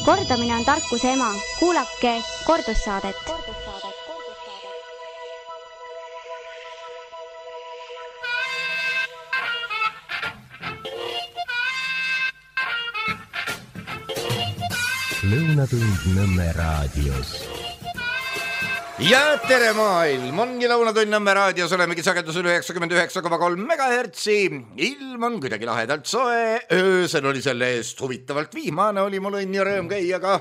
Kordamine on tarkuse ema. Kuulake kordussaadet. Lõunatund Nõmme raadios. Ja tere maailm, ongi Lõunatund Nõmme raadios, olemegi sagedusel 99,3 MHz. Ilm on kuidagi lahedalt soe, öösel oli selle eest huvitavalt vihmane, oli mul õnn ja rõõm käia ka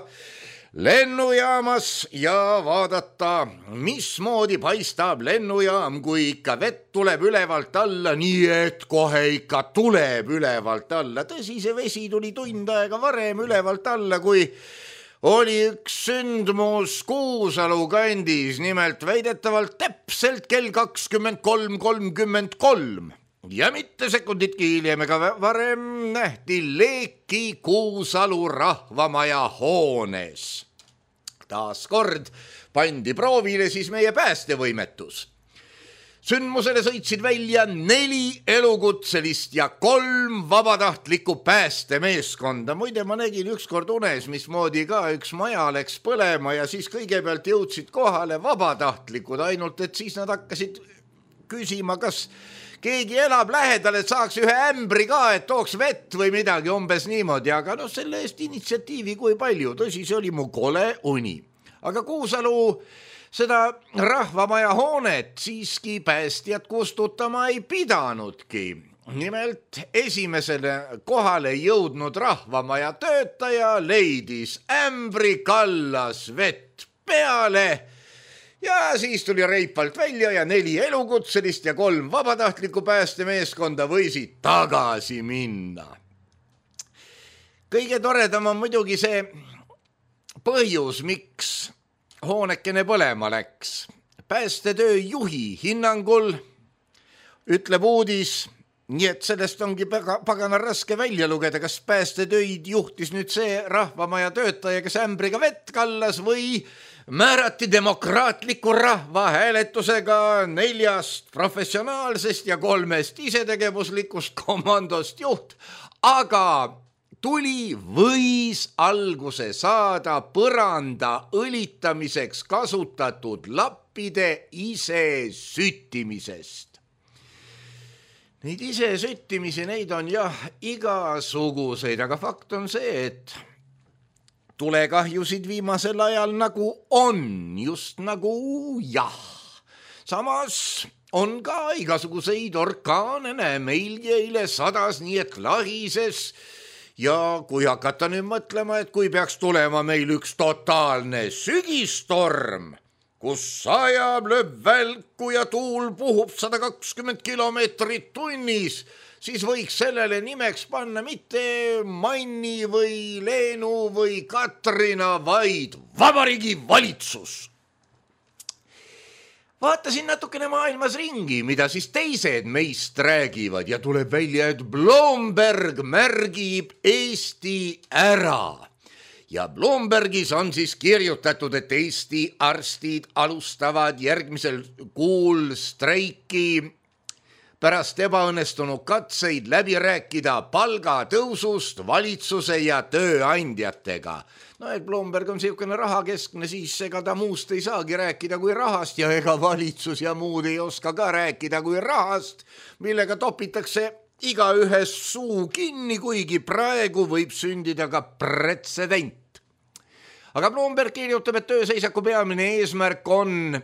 lennujaamas ja vaadata, mismoodi paistab lennujaam, kui ikka vett tuleb ülevalt alla, nii et kohe ikka tuleb ülevalt alla. Tõsi, see vesi tuli tund aega varem ülevalt alla, kui oli üks sündmus Kuusalu kandis, nimelt väidetavalt täpselt kell 23:33 ja mitte sekunditki hiljem ega varem nähti leeki Kuusalu rahvamaja hoones. Taas kord pandi proovile siis meie päästevõimetus. Sündmusele sõitsid välja 4 elukutselist ja 3 vabatahtlikku päästemeeskonda. Muide, ma nägin ükskord unes, mismoodi ka üks maja läks põlema ja siis kõigepealt jõudsid kohale vabatahtlikud, ainult et siis nad hakkasid küsima, kas keegi elab lähedal, et saaks ühe ämbri ka, et tooks vett või midagi umbes niimoodi, aga selle eest initsiatiivi kui palju, tõsi, see oli mu kole uni. Aga Kuusalu seda rahvamaja hoonet siiski päästjad kustutama ei pidanudki. Nimelt esimesele kohale jõudnud rahvamaja töötaja leidis ämbri, kallas vett peale ja siis tuli reipalt välja ja 4 elukutselist ja 3 vabatahtlikku päästemeeskonda võisid tagasi minna. Kõige toredam on muidugi see põhjus, miks hoonekene põlema läks. Päästetöö juhi hinnangul ütleb uudis, nii et sellest ongi pagana raske välja lugeda, kas päästetöid juhtis nüüd see rahvamaja töötaja, kes ämbriga vett kallas või määrati demokraatliku rahvahääletusega 4 professionaalsest ja 3 isetegevuslikust komandost juht, aga tuli võis alguse saada põranda õlitamiseks kasutatud lappide ise süttimisest. Neid ise süttimisi, neid on jah igasuguseid, aga fakt on see, et tulekahjusid viimasel ajal nagu on, just nagu jah. Samas on ka igasuguseid orkaane, meil eile sadas, nii et lahises. Ja kui hakata nüüd mõtlema, et kui peaks tulema meil üks totaalne sügistorm, kus sajab, lööb välku ja tuul puhub 120 kilomeetrit tunnis, siis võiks sellele nimeks panna mitte Manni või Leenu või Katrina, vaid Vabariigi Valitsus. Vaatasin natukene maailmas ringi, mida siis teised meist räägivad ja tuleb välja, et Bloomberg märgib Eesti ära. Ja Bloombergis on siis kirjutatud, et Eesti arstid alustavad järgmisel kuul streiki pärast ebaõnnestunud katseid läbi rääkida palgatõusust valitsuse ja tööandjatega. No, et Bloomberg on siukene rahakeskne, siis ega ta muust ei saagi rääkida kui rahast ja ega valitsus ja muud ei oska ka rääkida kui rahast, millega topitakse igaühes suu kinni, kuigi praegu võib sündida ka pretsedent. Aga Bloomberg kirjutab, et tööseisaku peamine eesmärk on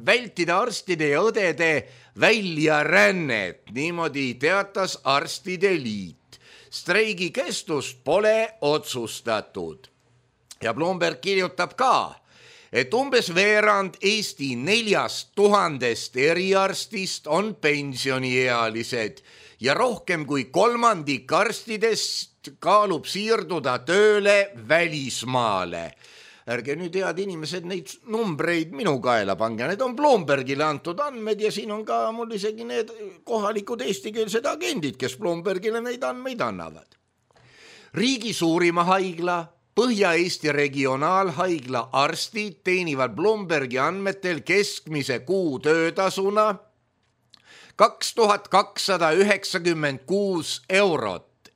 vältida arstide ja õdede väljarännet, niimoodi teatas Arstide Liit. Streigi kestust pole otsustatud. Ja Bloomberg kirjutab ka, et umbes veerand Eesti 4000 eriarstist on pensioniealised ja rohkem kui 1/3 arstidest kaalub siirduda tööle välismaale. Ärge nüüd head inimesed neid numbreid minu kaela pange, need on Bloombergile antud andmed ja siin on ka mul isegi need kohalikud eestikeelsed agendid, kes Bloombergile neid andmeid annavad. Riigi suurima haigla, Põhja-Eesti regionaalhaigla arstid teenivad Bloombergi andmetel keskmise kuu töötasuna 2296 eurot.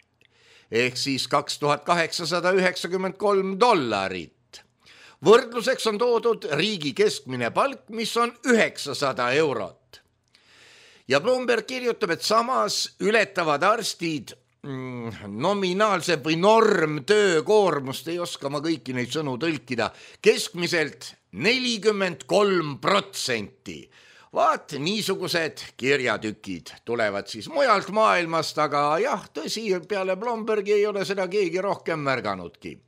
ehk siis $2893. Võrdluseks on toodud riigi keskmine palk, mis on 900 eurot. Ja Bloomberg kirjutab, et samas ületavad arstid nominaalse või normtöökoormust, ei oska ma kõiki neid sõnu tõlkida, keskmiselt 43%. Vaat niisugused kirjatükid tulevad siis mujalt maailmast, aga jah, tõsi, peale Bloombergi ei ole seda keegi rohkem märganudki.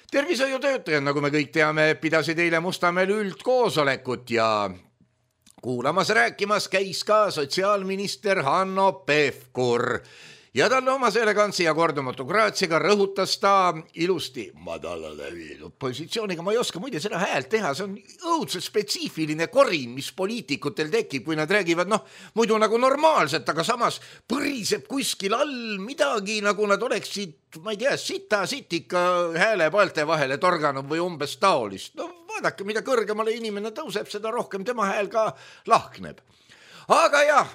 Tervishoiutöötajad, nagu me kõik teame, pidasid eile Mustamäel üldkoosolekut ja kuulamas rääkimas käis ka sotsiaalminister Hanno Pevkur. Ja talle oma elegantsi ja kordumatu graatsiga rõhutas ta ilusti madala levinud positsiooniga. Ma ei oska muide seda häält teha, see on õudselt spetsiifiline korin, mis poliitikutel tekib, kui nad räägivad, muidu nagu normaalselt, aga samas põriseb kuskil all midagi, nagu nad oleksid, ma ei tea, sitika häälepaalte vahele torganud või umbes taolist. Vaadake, mida kõrgemale inimene tõuseb, seda rohkem tema hääl ka lahkneb. Aga jah,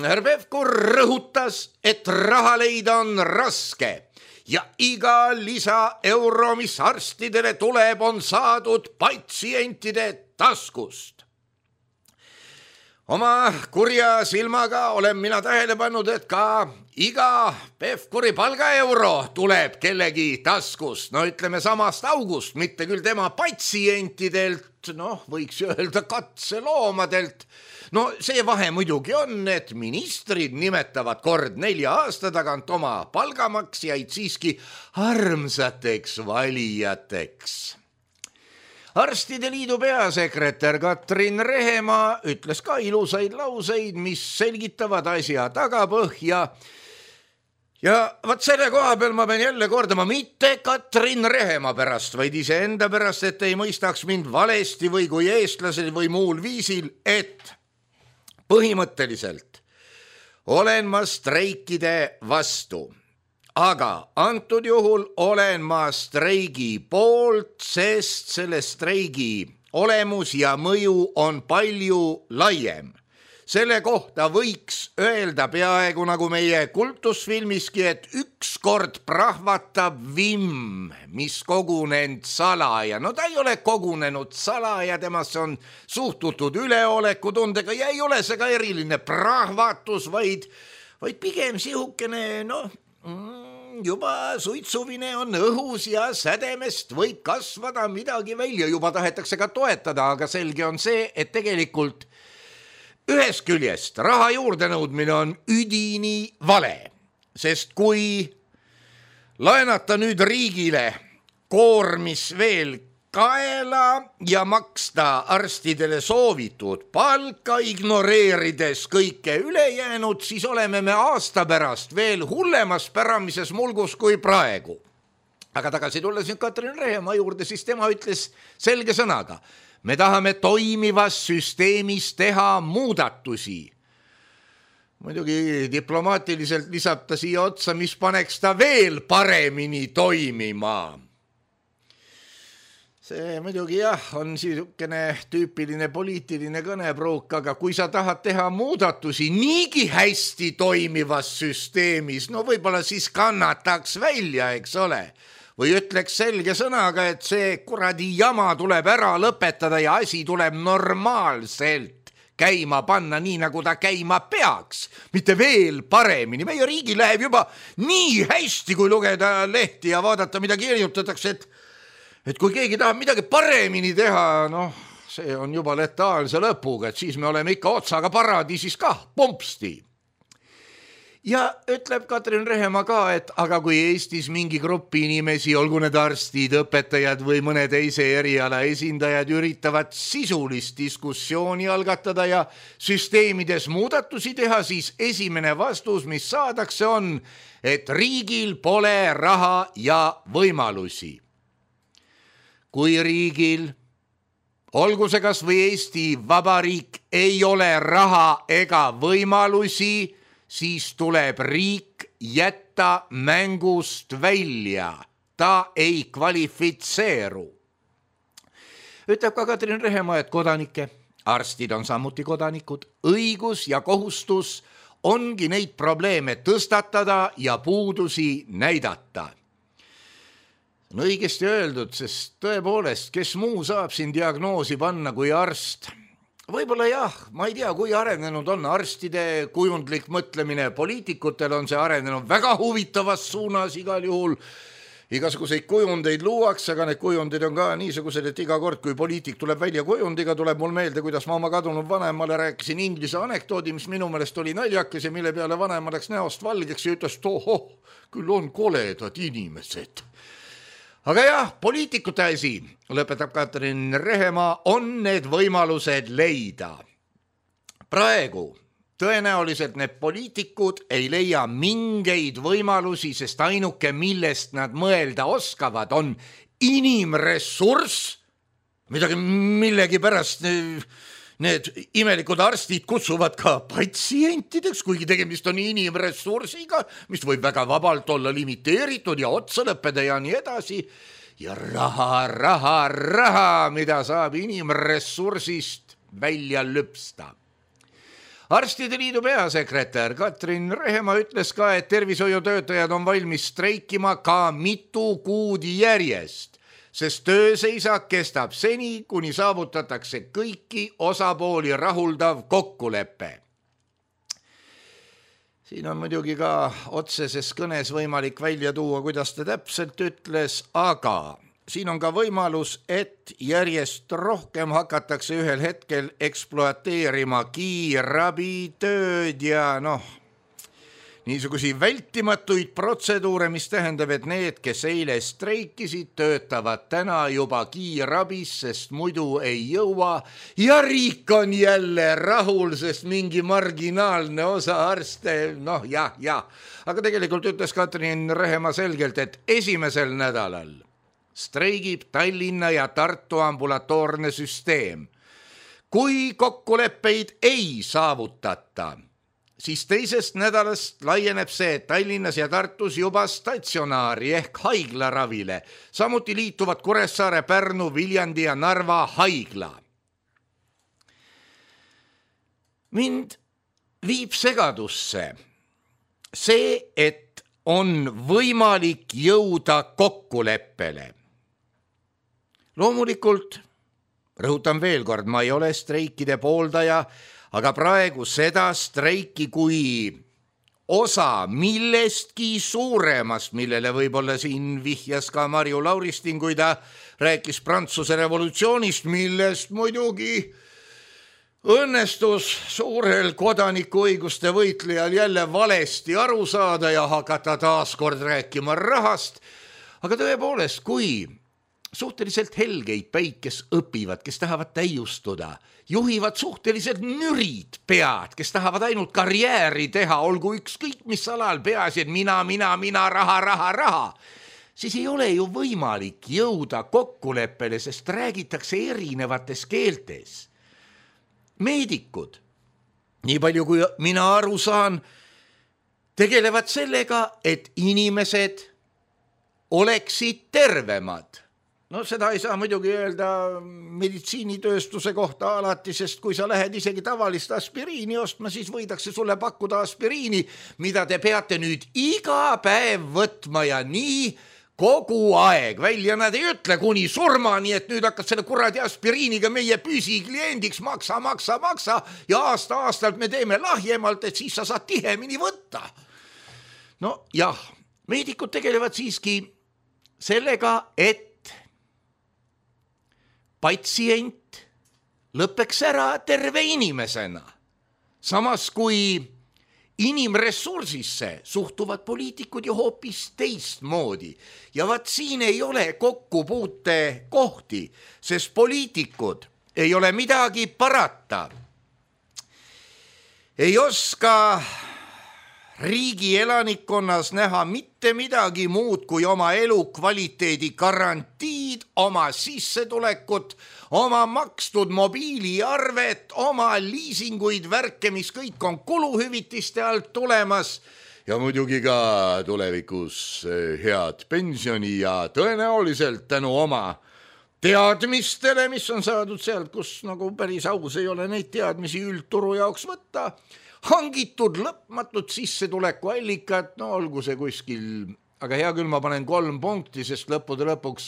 härra Pevkur rõhutas, et raha leida on raske ja iga lisaeuro, mis arstidele tuleb, on saadud patsientide taskust. Oma kurja silmaga olen mina tähele pannud, et ka iga Pevkuri palgaeuro tuleb kellegi taskust, ütleme samast august, mitte küll tema patsientidelt, võiks öelda katseloomadelt. See vahe muidugi on, et ministrid nimetavad kord 4 aasta tagant oma palgamaksjaid siiski armsateks valijateks. Arstide liidu peasekretär Katrin Rehemaa ütles ka ilusaid lauseid, mis selgitavad asja tagapõhja. Ja vaat selle koha peal ma pean jälle kordama, mitte Katrin Rehemaa pärast, vaid iseenda pärast, et ei mõistaks mind valesti või kui eestlasel või muul viisil, et põhimõtteliselt olen ma streikide vastu, aga antud juhul olen ma streigi poolt, sest selle streigi olemus ja mõju on palju laiem. Selle kohta võiks öelda peaaegu nagu meie kultusfilmiski, et ükskord prahvatab vimm, mis kogunenud salaja. Ta ei ole kogunenud salaja, temasse on suhtutud üleolekutundega ja ei ole see ka eriline prahvatus, vaid pigem sihukene, juba suitsuvine on õhus ja sädemest võib kasvada midagi välja. Juba tahetakse ka toetada, aga selge on see, et tegelikult ühest küljest raha juurde nõudmine on üdini vale, sest kui laenata nüüd riigile koormis veel kaela ja maksta arstidele soovitud palka, ignoreerides kõike ülejäänud, siis oleme me aasta pärast veel hullemas päramises mulgus kui praegu. Aga tagasi tulles nüüd Katrin Rehemaa juurde, siis tema ütles selge sõnaga, me tahame toimivas süsteemis teha muudatusi. Muidugi diplomaatiliselt lisab ta siia otsa, mis paneks ta veel paremini toimima. See muidugi on siukene tüüpiline poliitiline kõnepruuk, aga kui sa tahad teha muudatusi niigi hästi toimivas süsteemis, võib-olla siis kannataks välja, eks ole. Või ütleks selge sõnaga, et see kuradi jama tuleb ära lõpetada ja asi tuleb normaalselt käima panna nii, nagu ta käima peaks. Mitte veel paremini. Meie riigi läheb juba nii hästi, kui lugeda lehti ja vaadata, mida kirjutatakse, et kui keegi tahab midagi paremini teha, see on juba letaalse lõpuga, et siis me oleme ikka otsaga paradiisis kah pumpsti. Ja ütleb Katrin Rehemaa ka, et aga kui Eestis mingi gruppi inimesi, olgu need arstid, õpetajad või mõne teise eriala esindajad üritavad sisulist diskussiooni algatada ja süsteemides muudatusi teha, siis esimene vastus, mis saadakse on, et riigil pole raha ja võimalusi. Kui riigil, olgu see kas või Eesti Vabariik, ei ole raha ega võimalusi, siis tuleb riik jätta mängust välja. Ta ei kvalifitseeru. Ütleb ka Katrin Rehemaa, et kodanike, arstid on samuti kodanikud, õigus ja kohustus ongi neid probleeme tõstatada ja puudusi näidata. On õigesti öeldud, sest tõepoolest, kes muu saab siin diagnoosi panna kui arst? Võib-olla jah, ma ei tea, kui arenenud on arstide kujundlik mõtlemine, poliitikutel on see arenenud väga huvitavas suunas igal juhul. Igasuguseid kujundeid luuakse, aga need kujundid on ka niisugused, et iga kord, kui poliitik tuleb välja kujundiga, tuleb mul meelde, kuidas ma oma kadunud vanemale rääkisin inglise anekdoodi, mis minu meelest oli naljakas ja mille peale vanem läks näost valgeks ja ütles, tohoh, küll on koledad inimesed. Aga jah, poliitikute asi, lõpetab Katrin Rehemaa, on need võimalused leida. Praegu tõenäoliselt need poliitikud ei leia mingeid võimalusi, sest ainuke, millest nad mõelda oskavad, on inimressurss, millegi pärast need imelikud arstid kutsuvad ka patsientideks, kuigi tegemist on inimressursiga, mis võib väga vabalt olla limiteeritud ja otsa lõppeda ja nii edasi. Ja raha, mida saab inimressursist välja lüpsta. Arstide liidu peasekretär Katrin Rehemaa ütles ka, et tervishoiutöötajad on valmis streikima ka mitu kuud järjest, sest tööseisak kestab seni, kuni saavutatakse kõiki osapooli rahuldav kokkulepe. Siin on muidugi ka otseses kõnes võimalik välja tuua, kuidas ta täpselt ütles, aga siin on ka võimalus, et järjest rohkem hakatakse ühel hetkel ekspluateerima kiirabitööd ja niisugusi vältimatuid protseduure, mis tähendab, et need, kes eile streikisid, töötavad täna juba kiirabis, sest muidu ei jõua ja riik on jälle rahul, sest mingi marginaalne osa arste, jah. Aga tegelikult ütles Katrin Rehemaa selgelt, et esimesel nädalal streigib Tallinna ja Tartu ambulatoorne süsteem. Kui kokkuleppeid ei saavutata, siis teisest nädalast laieneb see Tallinnas ja Tartus juba statsionaari ehk haiglaravile. Samuti liituvad Kuressaare, Pärnu, Viljandi ja Narva haigla. Mind viib segadusse see, et on võimalik jõuda kokkuleppele. Loomulikult, rõhutan veel kord, ma ei ole streikide pooldaja, aga praegu seda streiki kui osa millestki suuremast, millele võib-olla siin vihjas ka Marju Lauristin, kui ta rääkis Prantsuse revolutsioonist, millest muidugi õnnestus suurel kodanikuõiguste võitlejal jälle valesti aru saada ja hakata taaskord rääkima rahast. Aga tõepoolest, kui suhteliselt helgeid päid, kes õpivad, kes tahavad täiustuda, juhivad suhteliselt nürid pead, kes tahavad ainult karjääri teha, olgu ükskõik mis alal, peaasi, et mina, raha, siis ei ole ju võimalik jõuda kokkuleppele, sest räägitakse erinevates keeltes. Meedikud, nii palju kui mina aru saan, tegelevad sellega, et inimesed oleksid tervemad. Seda ei saa muidugi öelda meditsiinitööstuse kohta alati, sest kui sa lähed isegi tavalist aspiriini ostma, siis võidakse sulle pakkuda aspiriini, mida te peate nüüd iga päev võtma ja nii kogu aeg. Välja nad ei ütle kuni surmani, et nüüd hakkad selle kuradi aspiriiniga meie püsikliendiks maksa ja aasta-aastalt me teeme lahjemalt, et siis sa saad tihemini võtta. Jah, meedikud tegelevad siiski sellega, et patsient lõpeks ära terve inimesena. Samas kui inimressursisse suhtuvad poliitikud ju hoopis teistmoodi. Ja vaat siin ei ole kokkupuute kohti, sest poliitikud ei ole midagi parata. Ei oska riigi elanikkonnas näha mitte midagi muud kui oma elukvaliteedi garantiid, oma sissetulekut, oma makstud mobiiliarvet, oma liisinguid, värke, mis kõik on kuluhüvitiste alt tulemas ja muidugi ka tulevikus head pensioni ja tõenäoliselt tänu oma teadmistele, mis on saadud sealt, kus päris aus ei ole neid teadmisi üldturu jaoks võtta, hangitud lõpmatud sissetulekuallikad, no olgu see kuskil, aga hea küll, ma panen 3 punkti, sest lõppude lõpuks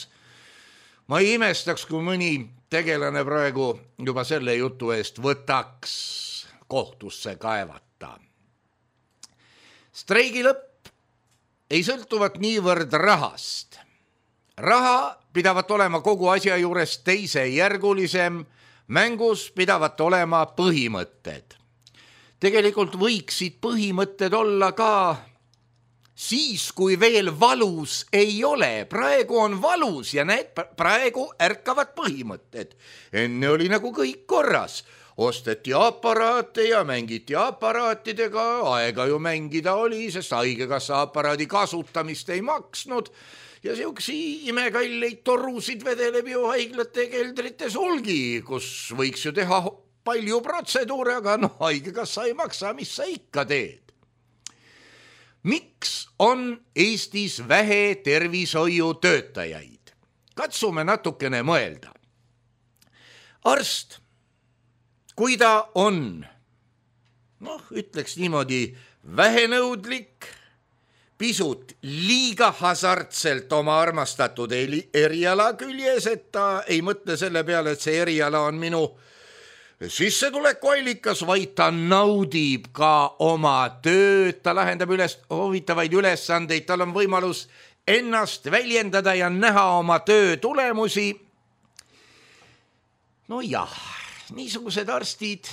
ma ei imestaks, kui mõni tegelane praegu juba selle jutu eest võtaks kohtusse kaevata. Streigi lõpp ei sõltuvat niivõrd rahast. Raha pidavat olema kogu asja juures teisejärgulisem, mängus pidavat olema põhimõtted. Tegelikult võiksid põhimõtted olla ka siis, kui veel valus ei ole. Praegu on valus ja praegu ärkavad põhimõtted. Enne oli nagu kõik korras. Osteti aparaate ja mängiti aparaatidega. Aega ju mängida oli, sest haigekassa aparaadi kasutamist ei maksnud. Ja siuksi imekalleid torusid vedeleb ju haiglate keldrites hulgi, kus võiks ju teha palju protseduure, aga haigekassa ei maksa, mis sa ikka teed. Miks on Eestis vähe tervishoiutöötajaid? Katsume natukene mõelda. Arst, kui ta on, ütleks niimoodi, vähenõudlik, pisut liiga hasartselt oma armastatud eriala küljes, et ta ei mõtle selle peale, et see eriala on minu sissetulekuallikas, vaid ta naudib ka oma tööd, ta lahendab huvitavaid ülesandeid, tal on võimalus ennast väljendada ja näha oma töö tulemusi. No jah, niisugused arstid,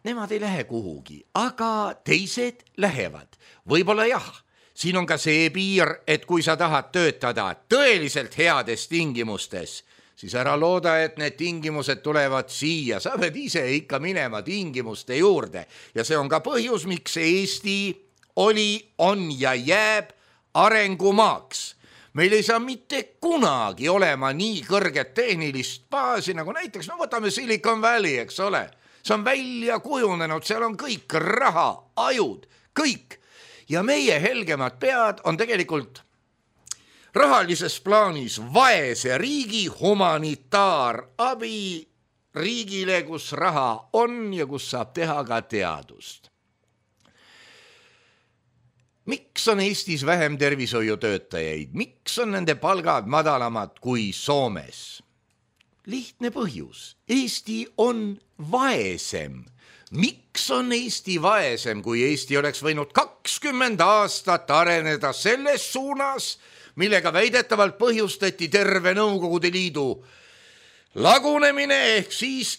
nemad ei lähe kuhugi, aga teised lähevad. Võib-olla jah, siin on ka see piir, et kui sa tahad töötada tõeliselt heades tingimustes, siis ära looda, et need tingimused tulevad siia. Sa pead ise ikka minema tingimuste juurde. Ja see on ka põhjus, miks Eesti oli, on ja jääb arengumaaks. Meil ei saa mitte kunagi olema nii kõrget tehnilist baasi, nagu näiteks, võtame Silicon Valley, eks ole. See on välja kujunenud, seal on kõik raha, ajud, kõik. Ja meie helgemad pead on tegelikult rahalises plaanis vaese riigi humanitaarabi riigile, kus raha on ja kus saab teha ka teadust. Miks on Eestis vähem tervishoiutöötajaid? Miks on nende palgad madalamad kui Soomes? Lihtne põhjus. Eesti on vaesem. Miks on Eesti vaesem, kui Eesti oleks võinud 20 aastat areneda selles suunas, millega väidetavalt põhjustati terve Nõukogude Liidu lagunemine ehk siis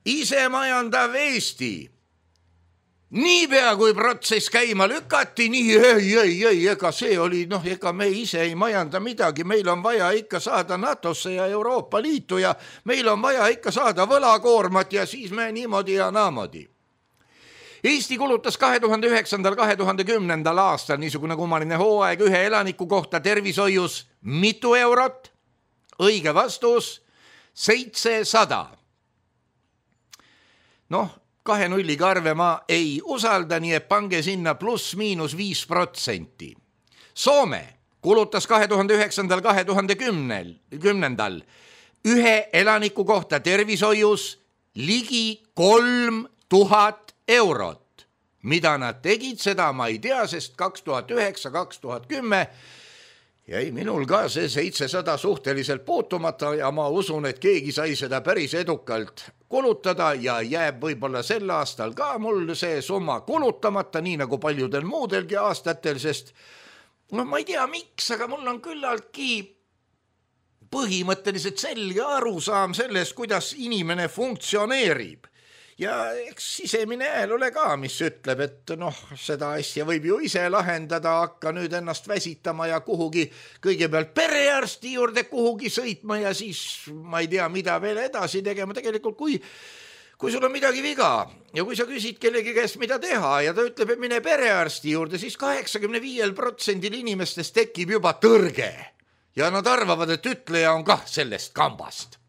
isemajandav Eesti. Niipea kui protsess käima lükati, ega see oli, ega me ise ei majanda midagi, meil on vaja ikka saada NATOsse ja Euroopa Liitu ja meil on vaja ikka saada võlakoormat ja siis me niimoodi ja naamodi. Eesti kulutas 2009-2010 aastal niisugune kummaline hooaeg 1 elaniku kohta tervishoius mitu eurot? Õige vastus 700. 2 nulliga arve ma ei usalda, nii et pange sinna +–5%. Soome kulutas 2009-2010 1 elaniku kohta tervishoius ligi 3000 eurot. Mida nad tegid, seda ma ei tea, sest 2009-2010 jäi minul ka see 700 suhteliselt puutumata ja ma usun, et keegi sai seda päris edukalt kulutada ja jääb võib-olla sel aastal ka mul see summa kulutamata, nii nagu paljudel muudelgi aastatel, sest ma ei tea miks, aga mul on küllaltki põhimõtteliselt selge arusaam sellest, kuidas inimene funktsioneerib. Ja eks sisemine hääl ole ka, mis ütleb, et seda asja võib ju ise lahendada, hakka nüüd ennast väsitama ja kuhugi kõigepealt perearsti juurde kuhugi sõitma ja siis ma ei tea, mida veel edasi tegema. Tegelikult kui sul on midagi viga ja kui sa küsid kellegi käest, mida teha ja ta ütleb, et mine perearsti juurde, siis 85% inimestest tekib juba tõrge ja nad arvavad, et ütleja on kah sellest kambast.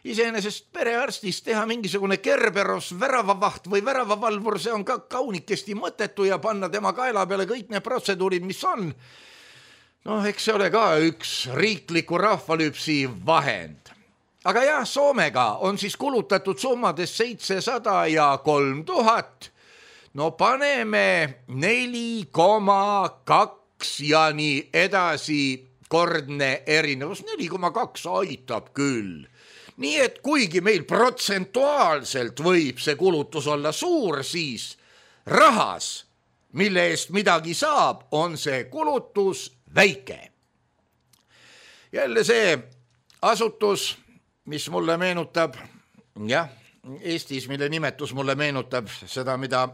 Iseenesest perearstist teha mingisugune Kerberos väravavaht või väravavalvur, see on ka kaunikesti mõttetu ja panna tema kaela peale kõik need protseduurid, mis on. Eks see ole ka üks riikliku rahvalüpsi vahend. aga jah, Soomega on siis kulutatud summades 700 ja 3000. No paneme 4,2 ja nii edasi kordne erinevus. 4,2 aitab küll. Nii et kuigi meil protsentuaalselt võib see kulutus olla suur, siis rahas, mille eest midagi saab, on see kulutus väike. Jälle see asutus, mis mulle meenutab, jah, Eestis, mille nimetus mulle meenutab seda, mida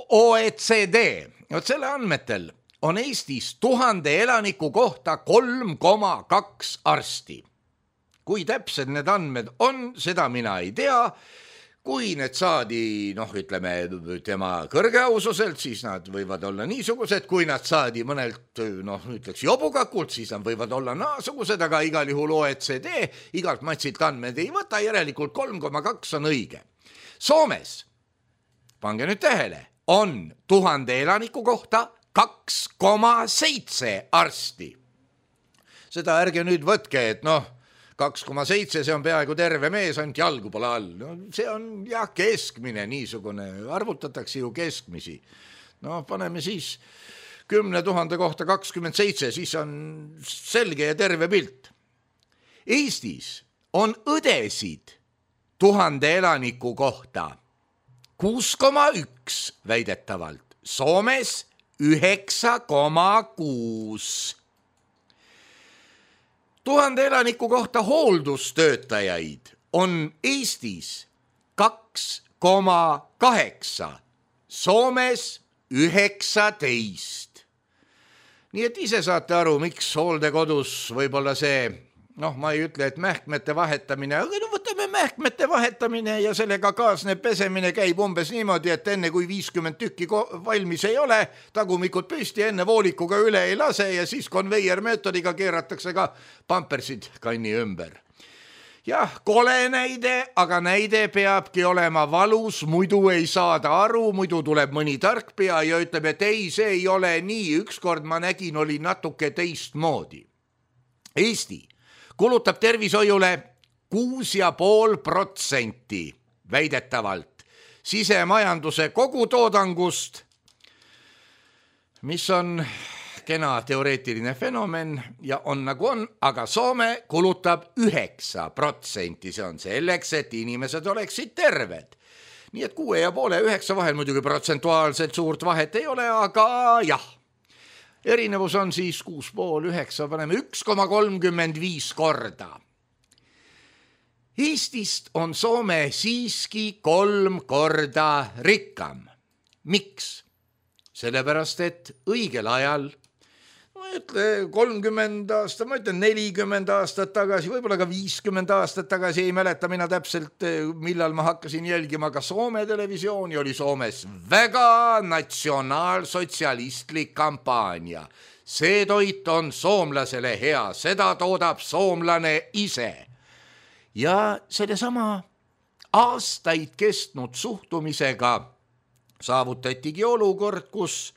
OECD, selle andmetel on Eestis 1000 elaniku kohta 3,2 arsti. Kui täpsed need andmed on, seda mina ei tea. Kui need saadi, ütleme, tema kõrgeaususelt, siis nad võivad olla niisugused. Kui nad saadi mõnelt, ütleks jobukakult, siis nad võivad olla naasugused, aga igal juhul OECD igalt matsilt andmed ei võta, järelikult 3,2 on õige. Soomes, pange nüüd tähele, on 1000 elaniku kohta 2,7 arsti. Seda ärge nüüd võtke, et 2,7, see on peaaegu terve mees, ainult jalgu pole all. See on jah keskmine niisugune, arvutatakse ju keskmisi. Paneme siis 10 000 kohta 27, siis on selge ja terve pilt. Eestis on õdesid 1000 elaniku kohta 6,1 väidetavalt, Soomes 9,6. 1000 elaniku kohta hooldustöötajaid on Eestis 2,8, Soomes 19. Nii et ise saate aru, miks hooldekodus võib-olla see, ma ei ütle, et mähkmete vahetamine, aga võtame mähkmete vahetamine ja sellega kaasnev pesemine käib umbes niimoodi, et enne kui 50 tükki valmis ei ole, tagumikud püsti, enne voolikuga üle ei lase ja siis konveiermeetodiga keeratakse ka pampersid kanni ümber. Jah, kole näide, aga näide peabki olema valus, muidu ei saada aru, muidu tuleb mõni tarkpea ja ütleb, et ei, see ei ole nii, ükskord ma nägin, oli natuke teistmoodi. Eesti kulutab tervishoiule 6,5% väidetavalt sisemajanduse kogutoodangust, mis on kena teoreetiline fenomen ja on nagu on, aga Soome kulutab 9%, see on selleks, et inimesed oleksid terved. Nii et 6,5 ja 9 vahel muidugi protsentuaalselt suurt vahet ei ole, aga jah. Erinevus on siis 6,5, 9, paneme 1,35 korda. Eestist on Soome siiski 3 korda rikkam. Miks? Sellepärast, et õigel ajal, ma ei ütle 30 aastat, ma ütlen 40 aastat tagasi, võib-olla ka 50 aastat tagasi, ei mäleta mina täpselt, millal ma hakkasin jälgima, aga Soome televisiooni oli Soomes väga natsionaalsotsialistlik kampaania. See toit on soomlasele hea, seda toodab soomlane ise. Ja sellesama aastaid kestnud suhtumisega saavutatigi olukord, kus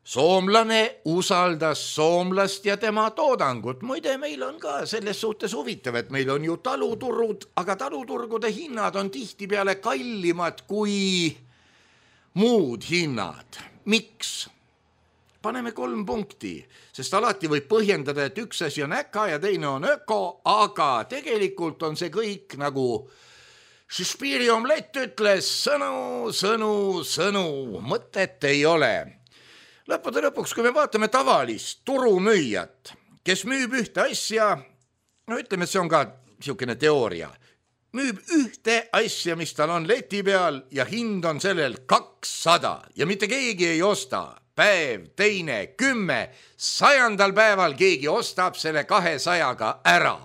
soomlane usaldas soomlast ja tema toodangut. Muide, meil on ka selles suhtes huvitav, et meil on ju taluturud, aga taluturgude hinnad on tihtipeale kallimad kui muud hinnad. Miks? Paneme 3 punkti, sest alati võib põhjendada, et üks asi on äka ja teine on öko, aga tegelikult on see kõik nagu Shakespeare'i omlett ütles, sõnu, mõtet ei ole. Lõppude lõpuks, kui me vaatame tavalist turumüüjat, kes müüb ühte asja, ütleme, et see on ka niisugune teooria, müüb ühte asja, mis tal on leti peal ja hind on sellel 200 ja mitte keegi ei osta. Päev, teine, 10, 100. päeval keegi ostab selle 200-ga ära.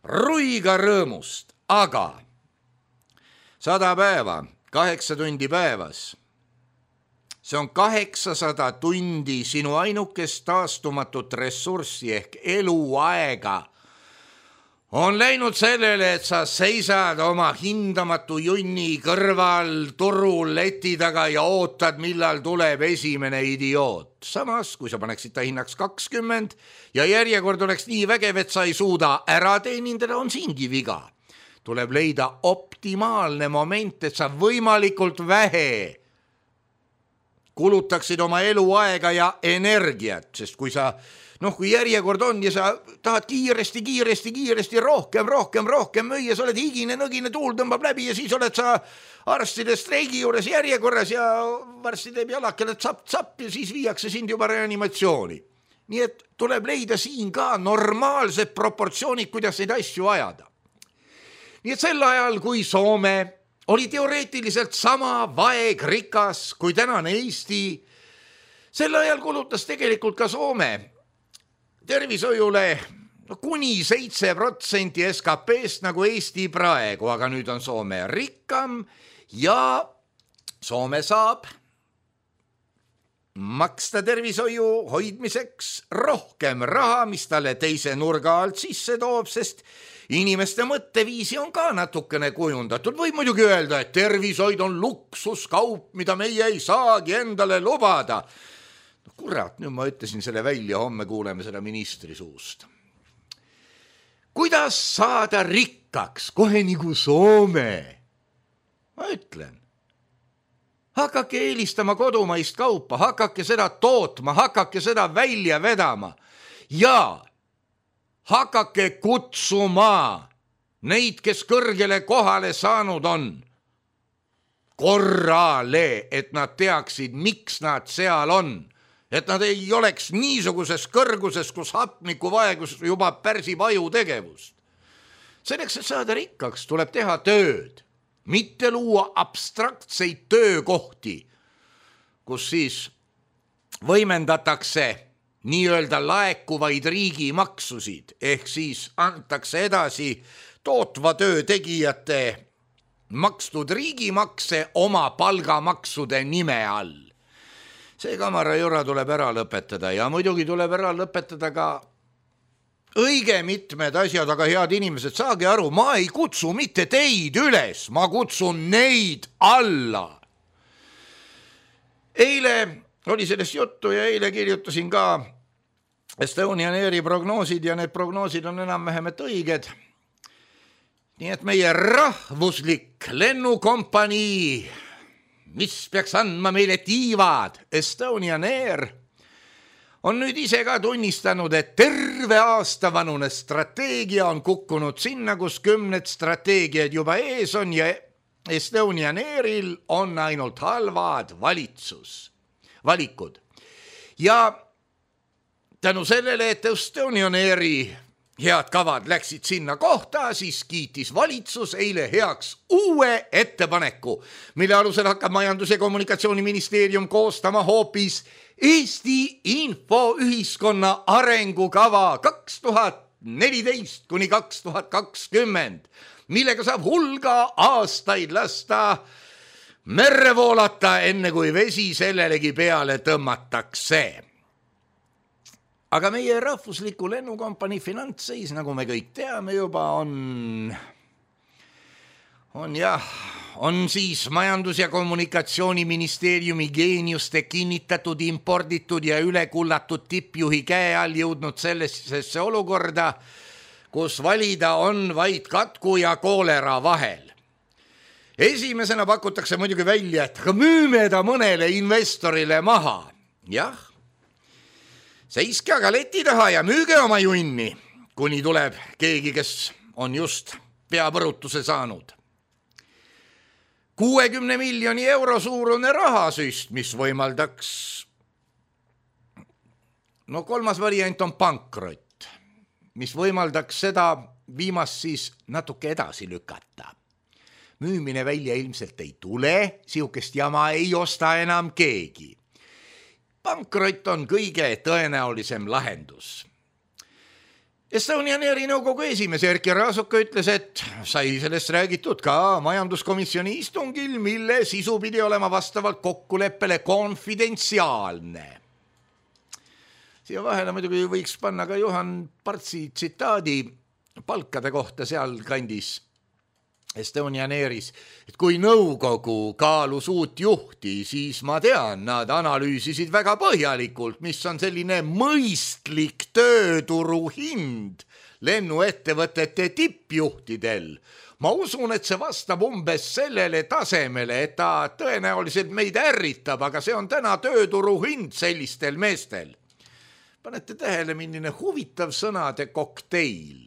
Ruiga rõõmust, aga 100 päeva, 8 tundi päevas. See on 800 tundi sinu ainukest taastumatut ressurssi ehk eluaega on läinud sellele, et sa seisad oma hindamatu junni kõrval turul leti taga ja ootad, millal tuleb esimene idioot. Samas, kui sa paneksid ta hinnaks 20 ja järjekord oleks nii vägev, et sa ei suuda ära teenindada, on siingi viga. Tuleb leida optimaalne moment, et sa võimalikult vähe kulutaksid oma eluaega ja energiat, sest kui järjekord on ja sa tahad kiiresti rohkem müüa, sa oled higine, nõgine, tuul tõmbab läbi ja siis oled sa arstide streigi juures järjekorras ja varsti teeb jalakele tsapp ja siis viiakse sind juba reanimatsiooni. Nii et tuleb leida siin ka normaalsed proportsioonid, kuidas neid asju ajada. Nii et sel ajal, kui Soome oli teoreetiliselt sama vaegrikas kui tänane Eesti, sel ajal kulutas tegelikult ka Soome tervishoiule kuni 7% SKP-st nagu Eesti praegu, aga nüüd on Soome rikkam ja Soome saab maksta tervishoiu hoidmiseks rohkem raha, mis talle teise nurga alt sisse toob, sest inimeste mõtteviisi on ka natukene kujundatud. Võib muidugi öelda, et tervishoid on luksuskaup, mida meie ei saagi endale lubada. Kurat, nüüd ma ütlesin selle välja, homme kuuleme seda ministri suust. Kuidas saada rikkaks, kohe nagu Soome? Ma ütlen, hakake eelistama kodumaist kaupa, hakake seda tootma, hakake seda välja vedama ja hakake kutsuma neid, kes kõrgele kohale saanud on, korrale, et nad teaksid, miks nad seal on. Et nad ei oleks niisuguses kõrguses, kus hapnikuvaegus juba pärsib aju tegevust. Selleks, et saada rikkaks, tuleb teha tööd, mitte luua abstraktseid töökohti, kus siis võimendatakse nii-öelda laekuvaid riigimaksusid, ehk siis antakse edasi tootva töö tegijate makstud riigimakse oma palgamaksude nime all. See kamarajura tuleb ära lõpetada ja muidugi tuleb ära lõpetada ka õige mitmed asjad, aga head inimesed, saage aru, ma ei kutsu mitte teid üles, ma kutsun neid alla. Eile oli sellest juttu ja eile kirjutasin ka Estonian Airi prognoosid ja need prognoosid on enam-vähem õiged. Nii et meie rahvuslik lennukompanii, mis peaks andma meile tiivad, Estonian Air, on nüüd ise ka tunnistanud, et terve aastavanune strateegia on kukkunud sinna, kus 10 strateegiad juba ees on ja Estonian Airil on ainult halvad valikud. Ja tänu sellele, et Estonian Airi head kavad läksid sinna kohta, siis kiitis valitsus eile heaks uue ettepaneku, mille alusel hakkab Majandus- ja Kommunikatsiooniministeerium koostama hoopis Eesti infoühiskonna arengukava 2014 kuni 2020, millega saab hulga aastaid lasta merre voolata, enne kui vesi sellelegi peale tõmmatakse. Aga meie rahvusliku lennukompanii finantsseis, nagu me kõik teame juba, on siis Majandus- ja Kommunikatsiooniministeeriumi geeniuste kinnitatud, imporditud ja ülekullatud tippjuhi käe all jõudnud sellesse olukorda, kus valida on vaid katku ja koolera vahel. Esimesena pakutakse muidugi välja, et müüme ta mõnele investorile maha. Jah, seiske aga leti taha ja müüge oma junni, kuni tuleb keegi, kes on just peapõrutuse saanud. 60 miljoni euro suurune rahasüst, mis võimaldaks, kolmas variant on pankrot, mis võimaldaks seda viimast siis natuke edasi lükata. Müümine välja ilmselt ei tule, sihukest jama ei osta enam keegi. Pankrot on kõige tõenäolisem lahendus. Estonian Airi nõukogu esimees Erkki Raasuke ütles, et sai sellest räägitud ka majanduskomisjoni istungil, mille sisu pidi olema vastavalt kokkuleppele konfidentsiaalne. Siia vahele muidugi võiks panna ka Juhan Partsi tsitaadi palkade kohta seal kandis Estonian Airis, et kui nõukogu kaalus uut juhti, siis ma tean, nad analüüsisid väga põhjalikult, mis on selline mõistlik tööturu hind lennuettevõtete tippjuhtidel. Ma usun, et see vastab umbes sellele tasemele, et ta tõenäoliselt meid ärritab, aga see on täna tööturu hind sellistel meestel. Panete tähele, milline huvitav sõnade kokteil.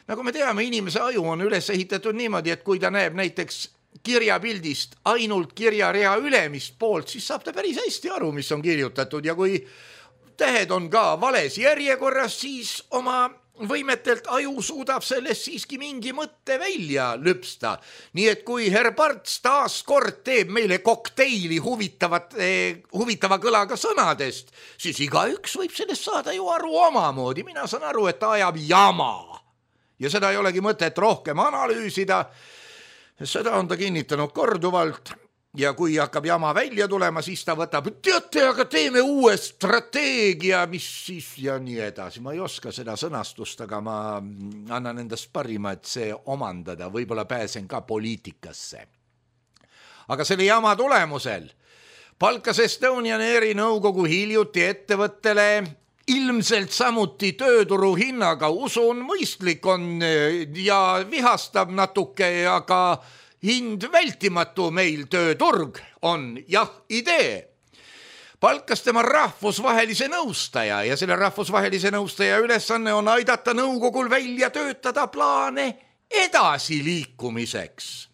Nagu me teame, inimese aju on üles ehitatud niimoodi, et kui ta näeb näiteks kirjapildist ainult kirjarea ülemist poolt, siis saab ta päris hästi aru, mis on kirjutatud, ja kui tähed on ka vales järjekorras, siis oma võimetelt aju suudab sellest siiski mingi mõtte välja lüpsta. Nii et kui herr Parts taas kord teeb meile kokteili huvitava kõlaga sõnadest, siis igaüks võib sellest saada ju aru omamoodi. Mina saan aru, et ta ajab jama. Ja seda ei olegi mõtet rohkem analüüsida. Seda on ta kinnitanud korduvalt. Ja kui hakkab jama välja tulema, siis ta võtab, teate, aga teeme uue strateegia, mis siis ja nii edasi. Ma ei oska seda sõnastust, aga ma annan endast parima, et see omandada. Võib-olla pääsen ka poliitikasse. Aga selle jama tulemusel palkas Estonian Airi nõukogu hiljuti ettevõttele ilmselt samuti tööturu hinnaga, usun mõistlik on ja vihastab natuke, aga hind vältimatu meil tööturg on jah idee. Palkas tema rahvusvahelise nõustaja ja selle rahvusvahelise nõustaja ülesanne on aidata nõukogul välja töötada plaane edasiliikumiseks.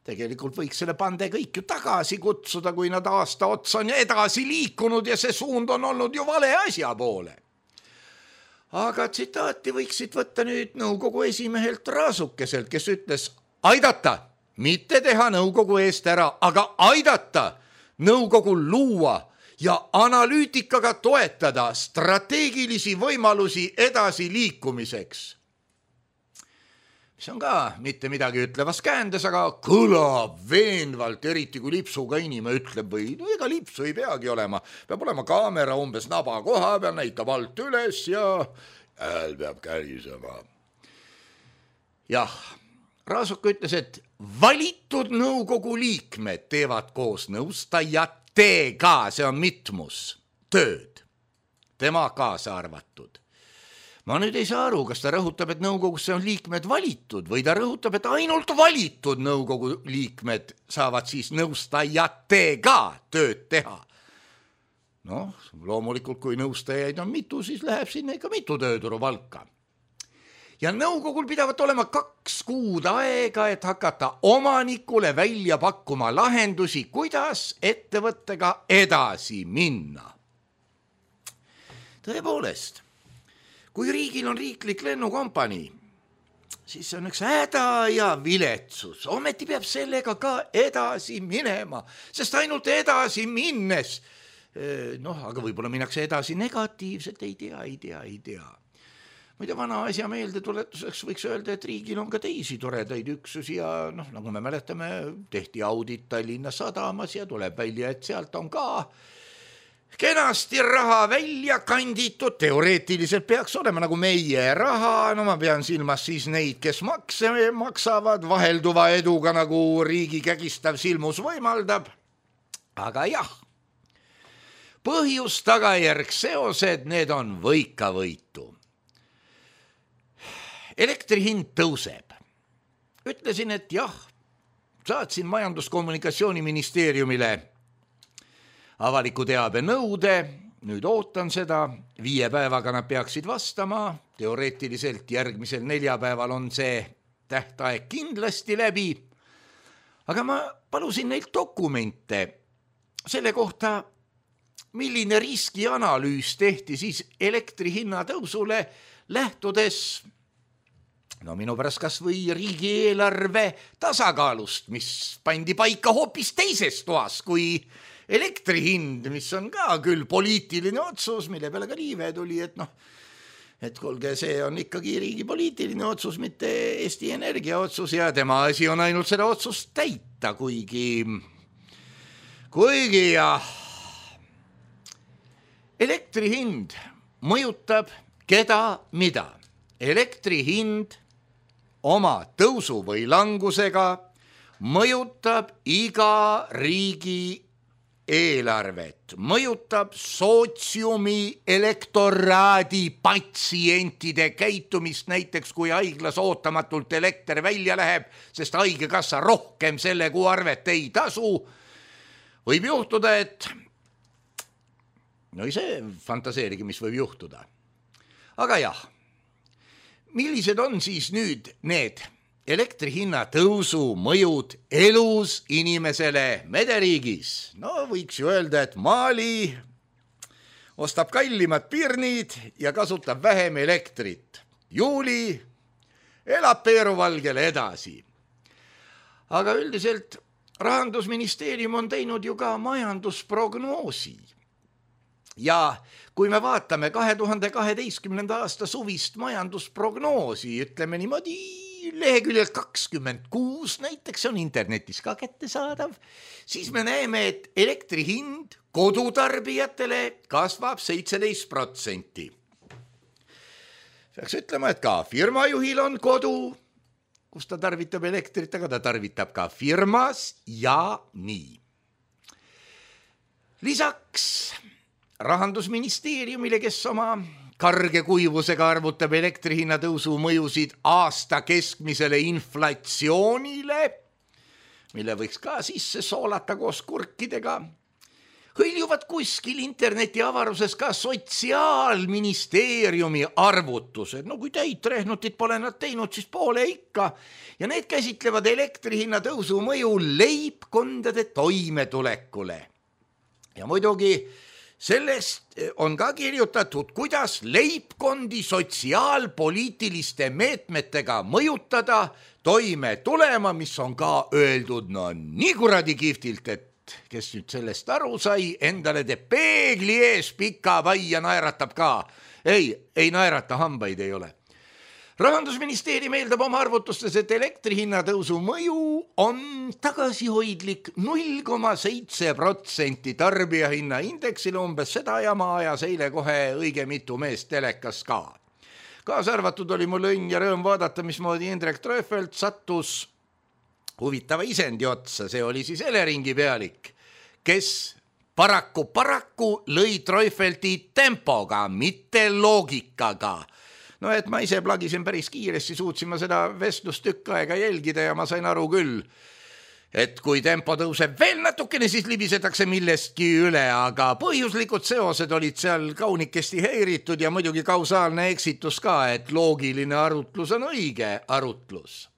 Tegelikult võiks selle pande kõik ju tagasi kutsuda, kui nad aasta otsa on edasi liikunud ja see suund on olnud ju vale asja poole. Aga tsitaati võiksid võtta nüüd nõukogu esimehelt Raasukeselt, kes ütles aidata, mitte teha nõukogu eest ära, aga aidata nõukogul luua ja analüütikaga toetada strateegilisi võimalusi edasi liikumiseks. See on ka mitte midagi ütlevas käändes, aga kõlab veenvalt, eriti kui lipsuga inimene ütleb või ega lipsu ei peagi olema. Peab olema kaamera umbes naba koha peal, näitab alt üles ja hääl peab kärisema. Jah, Raasuke ütles, et valitud nõukogu liikmed teevad koos nõustajatega, see on mitmus, tööd, tema kaasa arvatud. Ma nüüd ei saa aru, kas ta rõhutab, et nõukogusse on liikmed valitud või ta rõhutab, et ainult valitud nõukogu liikmed saavad siis nõustajatega tööd teha. Noh, loomulikult kui nõustajaid on mitu, siis läheb sinna ikka mitu tööturu palka. Ja nõukogul pidavat olema 2 kuud aega, et hakata omanikule välja pakkuma lahendusi, kuidas ettevõttega edasi minna. Tõepoolest, kui riigil on riiklik lennukompanii, siis see on üks häda ja viletsus. Ometi peab sellega ka edasi minema, sest ainult edasi minnes, aga võib-olla minnakse edasi negatiivselt, ei tea. Muide, vana asja meeldetuletuseks võiks öelda, et riigil on ka teisi toredaid üksusi ja nagu me mäletame, tehti audit Tallinna Sadamas ja tuleb välja, et sealt on ka kenasti raha välja kanditud, teoreetiliselt peaks olema nagu meie raha, ma pean silmas siis neid, kes makse maksavad vahelduva eduga, nagu riigi kägistav silmus võimaldab. Aga jah, põhjus, tagajärg, seosed, need on võikavõitu. Elektri hind tõuseb. Ütlesin, et jah, saatsin Majandus-Kommunikatsiooniministeeriumile avaliku teabe nõude, nüüd ootan seda, 5 päevaga nad peaksid vastama, teoreetiliselt järgmisel 4 päeval on see tähtaeg kindlasti läbi, aga ma palusin neilt dokumente selle kohta, milline riskianalüüs tehti siis elektri hinna tõusule lähtudes minu pärast kas või riigieelarve tasakaalust, mis pandi paika hoopis teises toas kui elektri hind, mis on ka küll poliitiline otsus, mille peale ka liive tuli, et kuulge, see on ikkagi riigi poliitiline otsus, mitte Eesti Energia otsus ja tema asi on ainult seda otsust täita, kuigi jah, elektri hind mõjutab keda mida. elektri hind oma tõusu või langusega mõjutab iga riigi eelarvet, mõjutab sootsiumi elektoraadi patsientide käitumist, näiteks kui haiglas ootamatult elekter välja läheb, sest haigekassa rohkem selle kuu arvet ei tasu, võib juhtuda, et no ise fantaseerige, mis võib juhtuda. Aga jah, millised on siis nüüd need elektri hinna tõusu mõjud elus inimesele mederiigis? No võiks ju öelda, et Mali ostab kallimad pirnid ja kasutab vähem elektrit. Juuli elab Peeruvalgele edasi. Aga üldiselt Rahandusministeerium on teinud ju ka majandusprognoosi. Ja kui me vaatame 2012. aasta suvist majandusprognoosi, ütleme niimoodi leheküljel 26, näiteks on internetis ka kättesaadav, siis me näeme, et elektri hind kodutarbijatele kasvab 17%. Peaks ütlema, et ka firmajuhil on kodu, kus ta tarvitab elektrit, aga ta tarvitab ka firmas ja nii. Lisaks Rahandusministeeriumile, kes oma karge kuivusega arvutab elektrihinna tõusu mõjusid aasta keskmisele inflatsioonile, mille võiks ka sisse soolata koos kurkidega, hõljuvad kuskil interneti avaruses ka Sotsiaalministeeriumi arvutused. No kui täitrehnutit pole nad teinud, siis poole ikka. Ja need käsitlevad elektrihinna tõusu mõju leibkondade toimetulekule. Ja muidugi sellest on ka kirjutatud, kuidas leibkondi sotsiaalpoliitiliste meetmetega mõjutada toime tulema, mis on ka öeldud no nii kuradi kihvtilt, et kes nüüd sellest aru sai, endale teeb peegli ees pika vai ja naeratab ka. Ei naerata, hambaid ei ole. Rahandusministeerium eeldab oma arvutustes, et elektrihinna tõusu mõju on tagasihoidlik 0,7% tarbijahinna indeksile, umbes seda jama ajas eile kohe õige mitu meest telekas ka. Kaasa arvatud oli mul õnn ja rõõm vaadata, mismoodi Indrek Treufelt sattus huvitava isendi otsa, see oli siis Eleringi pealik, kes paraku lõi Treufelti tempoga, mitte loogikaga. No et ma ise plagisin päris kiiresti, suutsin ma seda vestlust tükk aega jälgida ja ma sain aru küll, et kui tempo tõuseb veel natukene, siis libisetakse millestki üle, aga põhjuslikud seosed olid seal kaunikesti häiritud ja muidugi kausaalne eksitus ka, et loogiline arutlus on õige arutlus.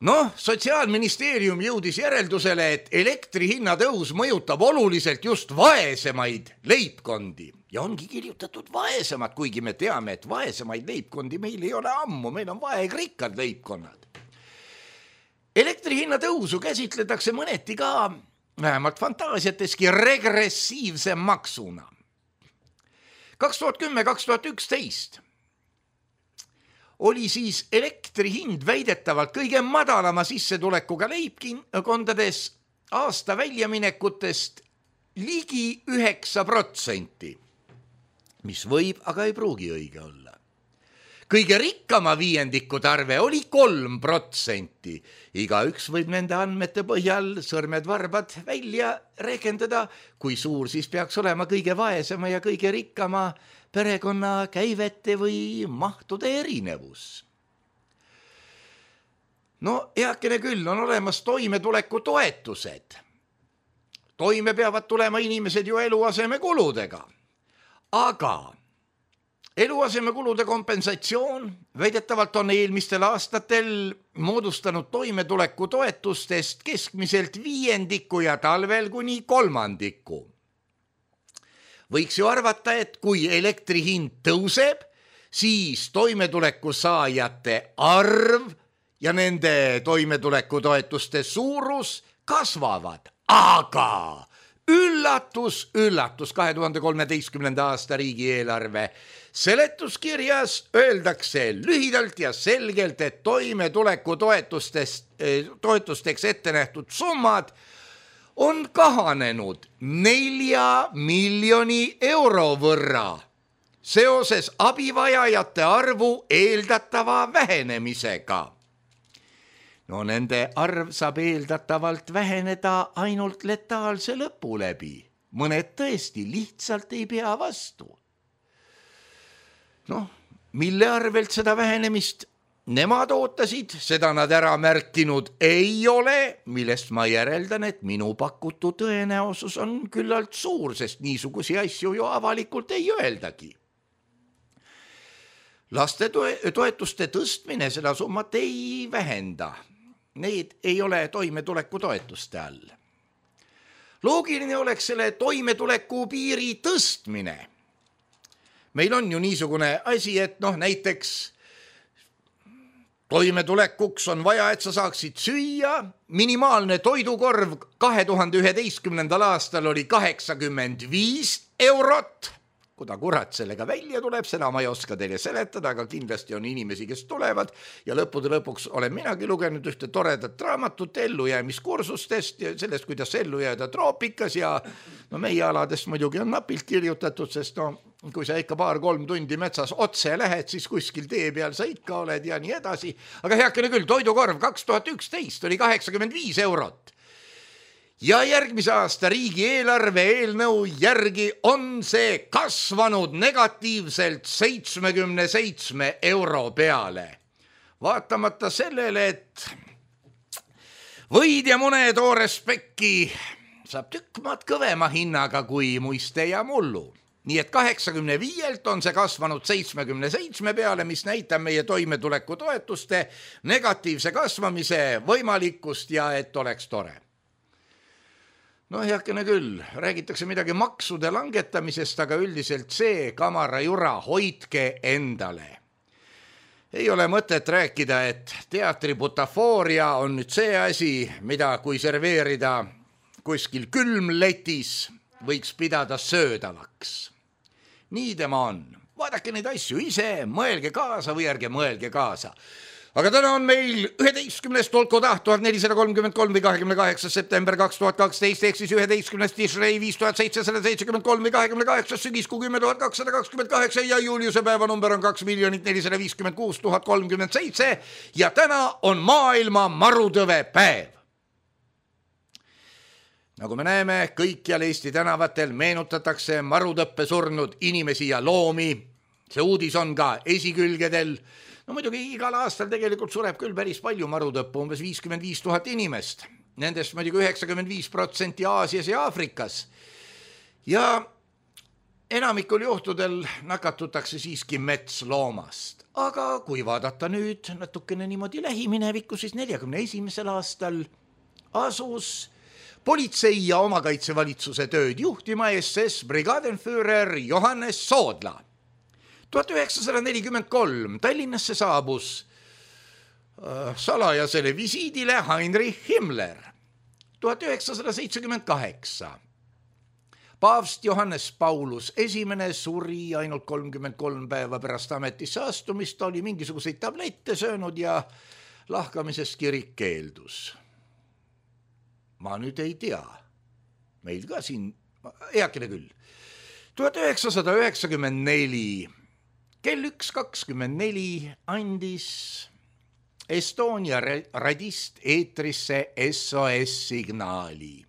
Noh, Sotsiaalministeerium jõudis järeldusele, et elektri hinna tõus mõjutab oluliselt just vaesemaid leibkondi. Ja ongi kirjutatud vaesemad, kuigi me teame, et vaesemaid leibkondi meil ei ole ammu, meil on vaegrikkad leibkonnad. Elektri hinna tõusu käsitletakse mõneti ka, vähemalt fantaasiateski, regressiivse maksuna. 2010-2011 oli siis elektri hind väidetavalt kõige madalama sissetulekuga leibkondades aasta väljaminekutest ligi 9%, mis võib, aga ei pruugi õige olla. Kõige rikkama viiendiku tarve oli 3%. Igaüks võib nende andmete põhjal sõrmed varbad välja rehkendada, kui suur siis peaks olema kõige vaesema ja kõige rikkama perekonna käivete või mahtude erinevus. No heakene küll, on olemas toimetuleku toetused. Toime peavad tulema inimesed ju eluasemekuludega. Aga eluasemekulude kompensatsioon väidetavalt on eelmistel aastatel moodustanud toimetuleku toetustest keskmiselt viiendiku ja talvel kuni kolmandiku. Võiks ju arvata, et kui elektri hind tõuseb, siis toimetuleku saajate arv ja nende toimetuleku toetuste suurus kasvavad. Aga üllatus, 2013. aasta riigieelarve seletuskirjas öeldakse lühidalt ja selgelt, et toimetuleku toetusteks ette nähtud summad on kahanenud 4 miljoni euro võrra. seoses abivajajate arvu eeldatava vähenemisega. No nende arv saab eeldatavalt väheneda ainult letaalse lõpu läbi. Mõned tõesti lihtsalt ei pea vastu. Noh, mille arvelt seda vähenemist nemad ootasid, seda nad ära märkinud ei ole, millest ma järeldan, et minu pakutu tõenäosus on küllalt suur, sest niisugusi asju ju avalikult ei öeldagi. Laste toetuste tõstmine seda summat ei vähenda. Neid ei ole toimetuleku toetuste all. Loogiline oleks selle toimetuleku piiri tõstmine. Meil on ju niisugune asi, et näiteks toimetulekuks on vaja, et sa saaksid süüa. Minimaalne toidukorv 2011. aastal oli 85 eurot. Kuda kurat sellega välja tuleb, seda ma ei oska teile seletada, aga kindlasti on inimesi, kes tulevad ja lõppude lõpuks olen minagi lugenud ühte toredat raamatut ellujäämiskursustest ja sellest, kuidas ellu jääda troopikas ja meie aladest muidugi on napilt kirjutatud, sest kui sa ikka 2-3 tundi metsas otse lähed, siis kuskil tee peal sa ikka oled ja nii edasi. Aga heakene küll, toidukorv 2011 oli 85 eurot. Ja järgmise aasta riigieelarve eelnõu järgi on see kasvanud negatiivselt 77 euro peale. Vaatamata sellele, et võid ja munetoores pekki saab tükk maad kõvema hinnaga kui muiste ja mullu. Nii et 85-lt on see kasvanud 77 peale, mis näitab meie toimetuleku toetuste negatiivse kasvamise võimalikkust ja et oleks tore. No heakene küll, räägitakse midagi maksude langetamisest, aga üldiselt see kamara jura hoidke endale. Ei ole mõtet rääkida, et teatri butafooria on nüüd see asi, mida kui serveerida kuskil külmletis, võiks pidada söödavaks. Nii tema on. Vaadake neid asju ise, mõelge kaasa või ärge mõelge kaasa. Aga täna on meil 11. Tolkodah 1433 või 28. september 2012 ehk siis 11. Tishrei 5773 või 28. sügiskuu 10.228 ja Juliuse päevanumber on 2 456 037 ja täna on maailma marutõve päev. Nagu me näeme, kõikjal Eesti tänavatel meenutatakse marutõppe surnud inimesi ja loomi. See uudis on ka esikülgedel. No muidugi igal aastal tegelikult sureb küll päris palju marutõppu, umbes 55 000 inimest. Nendest muidugi 95% Aasias ja Aafrikas. Ja enamikul juhtudel nakatutakse siiski metsloomast. Aga kui vaadata nüüd natukene niimoodi lähiminevikku, siis 41. aastal asus politsei ja omakaitsevalitsuse tööd juhtima SS brigadenführer Johannes Soodla. 1943 Tallinnasse saabus salajasele visiidile Heinrich Himmler. 1978 paavst Johannes Paulus esimene suri ainult 33 päeva pärast ametisse astumist, oli mingisuguseid tablette söönud ja lahkamisest kirik keeldus. Ma nüüd ei tea, meil ka siin, heakene küll. 1994 kell 1.24 andis Estonia radist eetrisse SOS-signaali.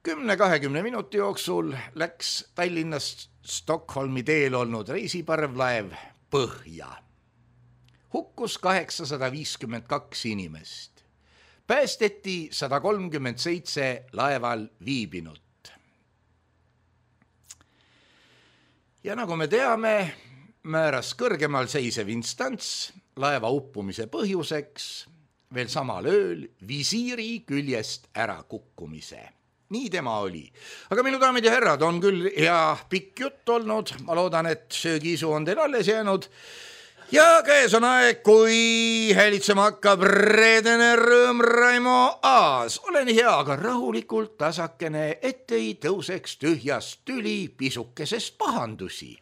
10-20 minuti jooksul läks Tallinnast Stockholmi teel olnud reisiparvlaev põhja. Hukkus 852 inimest. Päästeti 137 laeval viibinut. Ja nagu me teame, määras kõrgemal seisev instants laeva uppumise põhjuseks veel samal ööl visiiri küljest ära kukkumise. Nii tema oli. Aga minu daamid ja härrad, on küll hea pikk jutt olnud. Ma loodan, et söögiisu on teil alles jäänud. Ja käes on aeg, kui häälitsema hakkab reedene rõõm Raimo Aas. Olen hea, aga rahulikult tasakene, et ei tõuseks tühjast tüli pisukesest pahandusi.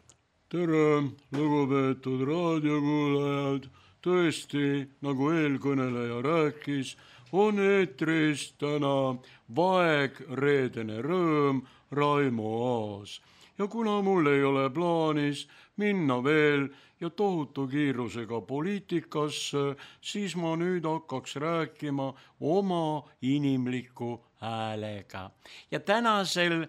Tere, lugupeetud raadiokuulajad. Tõesti, nagu eelkõneleja rääkis, on eetris täna vaeg reedene rõõm Raimo Aas. ja kuna mul ei ole plaanis minna veel ja tohutu kiirusega poliitikasse, siis ma nüüd hakkaks rääkima oma inimliku häälega. Ja tänasel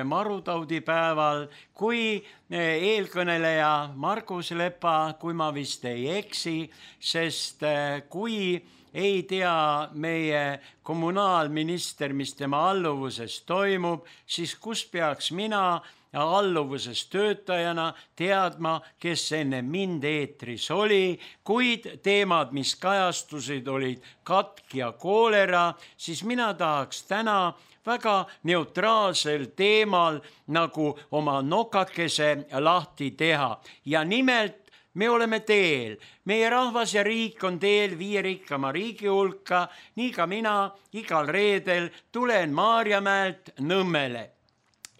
marutaudipäeval, kui eelkõneleja Margus Lepa, kui ma vist ei eksi, sest kui ei tea meie kommunaalminister, mis tema alluvuses toimub, siis kus peaks mina alluvuses töötajana teadma, kes enne mind eetris oli, kuid teemad, mis kajastusid, olid katk ja koolera, siis mina tahaks täna väga neutraalsel teemal nagu oma nokakese lahti teha. Ja nimelt me oleme teel. Meie rahvas ja riik on teel 5 rikkama riigi hulka, nii ka mina igal reedel tulen Maarjamäelt Nõmmele.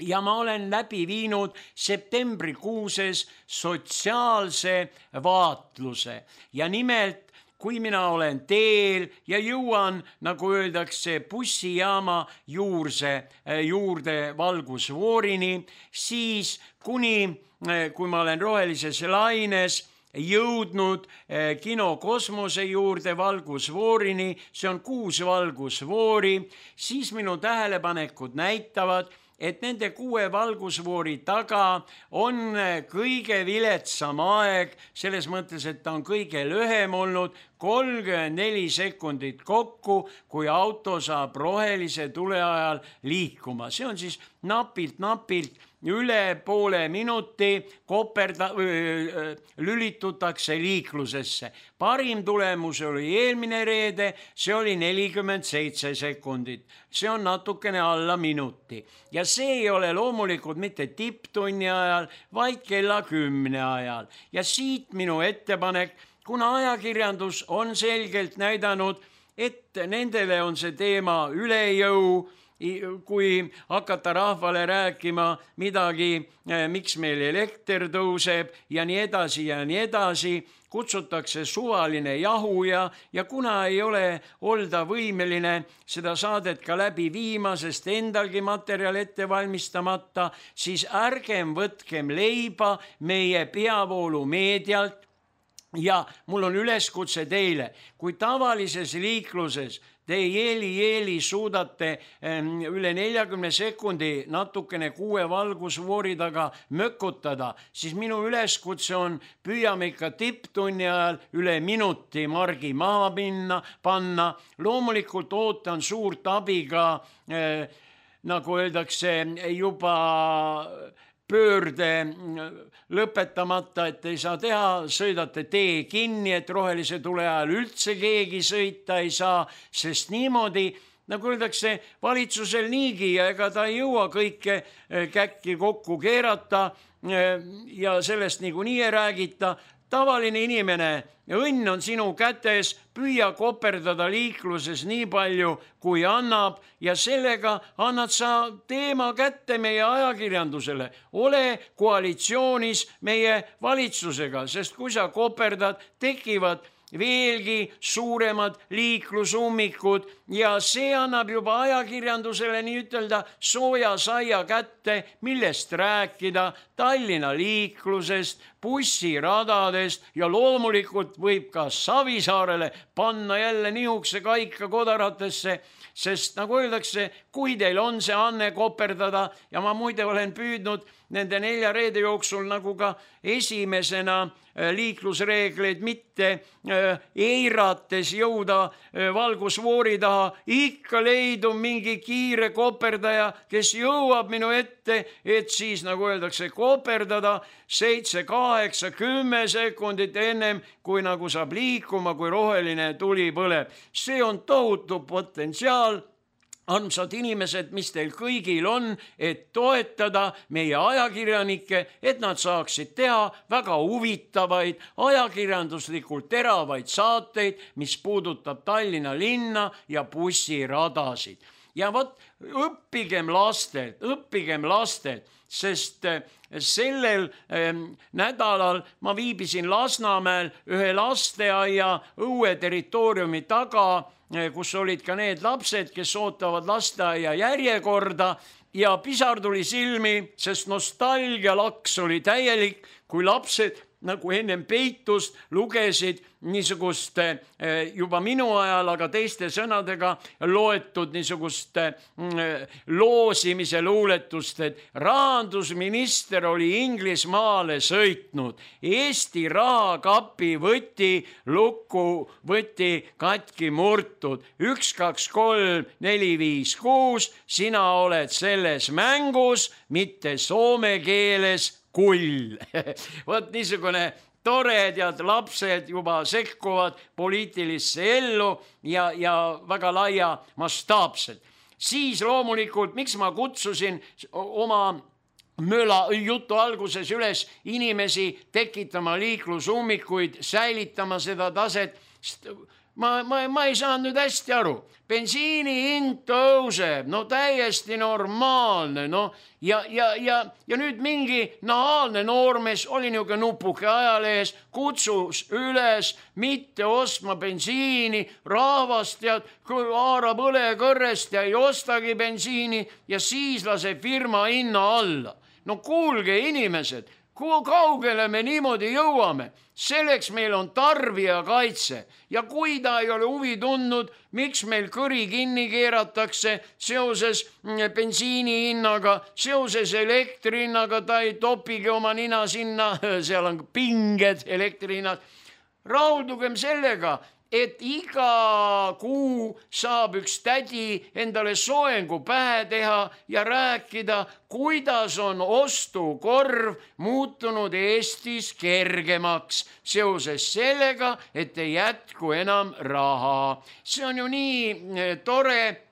Ja ma olen läbi viinud septembrikuuses sotsiaalse vaatluse. Ja nimelt, kui mina olen teel ja jõuan, nagu öeldakse, bussijaama juurde valgusvoorini, siis kui ma olen rohelises laines jõudnud kino Kosmose juurde valgusvoorini, see on 6 valgusvoori, siis minu tähelepanekud näitavad, et nende 6 valgusvoori taga on kõige viletsam aeg, selles mõttes, et ta on kõige lühem olnud, 34 sekundit kokku, kui auto saab rohelise tule ajal liikuma. See on siis napilt üle poole minuti lülitutakse liiklusesse. Parim tulemus oli eelmine reede, see oli 47 sekundit. See on natukene alla minuti. Ja see ei ole loomulikult mitte tipptunni ajal, vaid kella 10 ajal. Ja siit minu ettepanek, kuna ajakirjandus on selgelt näidanud, et nendele on see teema üle jõu, kui hakata rahvale rääkima midagi, miks meil elekter tõuseb ja nii edasi, kutsutakse suvaline jahuja ja kuna ei ole olda võimeline seda saadet ka läbi viima, sest endalgi materjal ette valmistamata, siis ärgem võtkem leiba meie peavoolumeedialt. Ja mul on üleskutse teile, kui tavalises liikluses te jeeli suudate üle 40 sekundi natukene 6 valgusvoori taga mökutada, siis minu üleskutse on püüame ikka tipptunni ajal üle minuti margi maha panna. Loomulikult ootan suurt abi ka, nagu öeldakse, juba pöörde lõpetamata, et ei saa teha, sõidate tee kinni, et rohelise tule ajal üldse keegi sõita ei saa, sest niimoodi, nagu öeldakse, valitsusel niigi ja ega ta ei jõua kõike käkki kokku keerata ja sellest niikuinii ei räägita. Tavaline inimene, õnn on sinu kätes, püüa koperdada liikluses nii palju, kui annab ja sellega annad sa teema kätte meie ajakirjandusele. Ole koalitsioonis meie valitsusega, sest kui sa koperdad, tekivad veelgi suuremad liiklusummikud ja see annab juba ajakirjandusele nii ütelda sooja saia kätte, millest rääkida Tallinna liiklusest, bussiradadest ja loomulikult võib ka Savisaarele panna jälle nihukese kaika kodaratesse, sest nagu öeldakse, kui teil on see anne koperdada ja ma muide olen püüdnud nende 4 reede jooksul nagu ka esimesena liiklusreegleid mitte eirates jõuda valgusvoori taha, ikka leidub mingi kiire koperdaja, kes jõuab minu ette, et siis nagu öeldakse koperdada 7, 8, 10 sekundit ennem, kui nagu saab liikuma, kui roheline tuli põleb. See on tohutu potentsiaal. Armsad inimesed, mis teil kõigil on, et toetada meie ajakirjanikke, et nad saaksid teha väga huvitavaid, ajakirjanduslikult teravaid saateid, mis puudutab Tallinna linna ja bussiradasid. Ja vot, õppigem lastelt, sest sellel nädalal ma viibisin Lasnamäel ühe lasteaia õue territooriumi taga, kus olid ka need lapsed, kes ootavad lasteaia järjekorda ja pisar tuli silmi, sest nostalgia laks oli täielik, kui lapsed nagu ennem peitust lugesid niisugust juba minu ajal, aga teiste sõnadega loetud niisugust loosimise luuletust, et rahandusminister oli Inglismaale sõitnud, Eesti rahakapi lukku võti katki murtud, 1, 2, 3, 4, 5, 6, sina oled selles mängus, mitte soome keeles kull. Vot niisugune tore, tead, lapsed juba sekkuvad poliitilisse ellu ja väga laia mastaapselt. Siis loomulikult, miks ma kutsusin oma möla jutu alguses üles inimesi tekitama liiklusummikuid, säilitama seda taset, ma ei saanud nüüd hästi aru. Bensiini hind tõuseb, no täiesti normaalne, no ja nüüd mingi nahaalne noormees oli niuke nupuke ajalehes, kutsus üles mitte ostma bensiini, rahvast tead, haarab õlekõrrest ja ei ostagi bensiini ja siis laseb firma hinna alla. No kuulge inimesed, kui kaugele me niimoodi jõuame? Selleks meil on tarbijakaitse ja kui ta ei ole huvi tundnud, miks meil kõri kinni keeratakse seoses bensiini hinnaga, seoses elektri hinnaga, ta ei topigi oma nina sinna, seal on pinged elektri hinnad. Rahuldugem sellega, et iga kuu saab üks tädi endale soengu pähe teha ja rääkida, kuidas on ostukorv muutunud Eestis kergemaks seoses sellega, et ei jätku enam raha. See on ju nii tore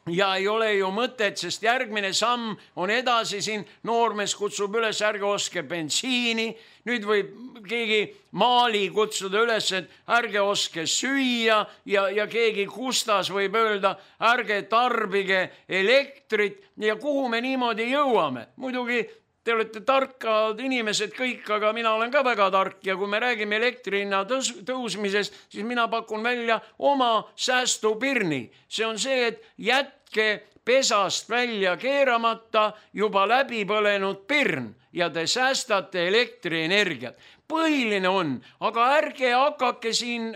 ja ei ole ju mõtet, sest järgmine samm on edasi siin. Noormees kutsub üles, ärge ostke bensiini. Nüüd võib keegi maali kutsuda üles, et ärge ostke süüa ja keegi kustas võib öelda, ärge tarbige elektrit ja kuhu me niimoodi jõuame. Muidugi te olete tarkad inimesed kõik, aga mina olen ka väga tark ja kui me räägime elektrihinna tõusmisest, siis mina pakun välja oma säästupirni. See on see, et jätke pesast välja keeramata juba läbi põlenud pirn ja te säästate elektrienergiat. Põhiline on, aga ärge hakake siin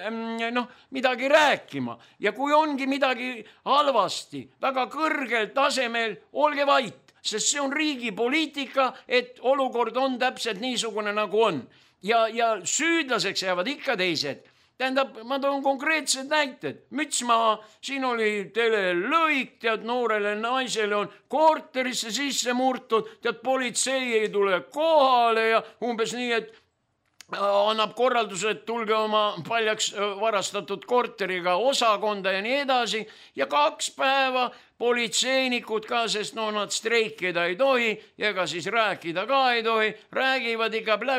midagi rääkima ja kui ongi midagi halvasti, väga kõrgel tasemel, olge vait. Sest see on riigi poliitika, et olukord on täpselt niisugune nagu on. Ja süüdlaseks jäävad ikka teised. Tähendab, ma toon konkreetsed näited. Mütsmaa, siin oli telelõik, tead, noorele naisele on korterisse sisse murtud, tead, politsei ei tule kohale ja umbes nii, et annab korraldused, tulge oma paljaks varastatud korteriga osakonda ja nii edasi ja 2 päeva politseinikud ka, sest nad streikida ei tohi ja ega siis rääkida ka ei tohi, räägivad ikka blä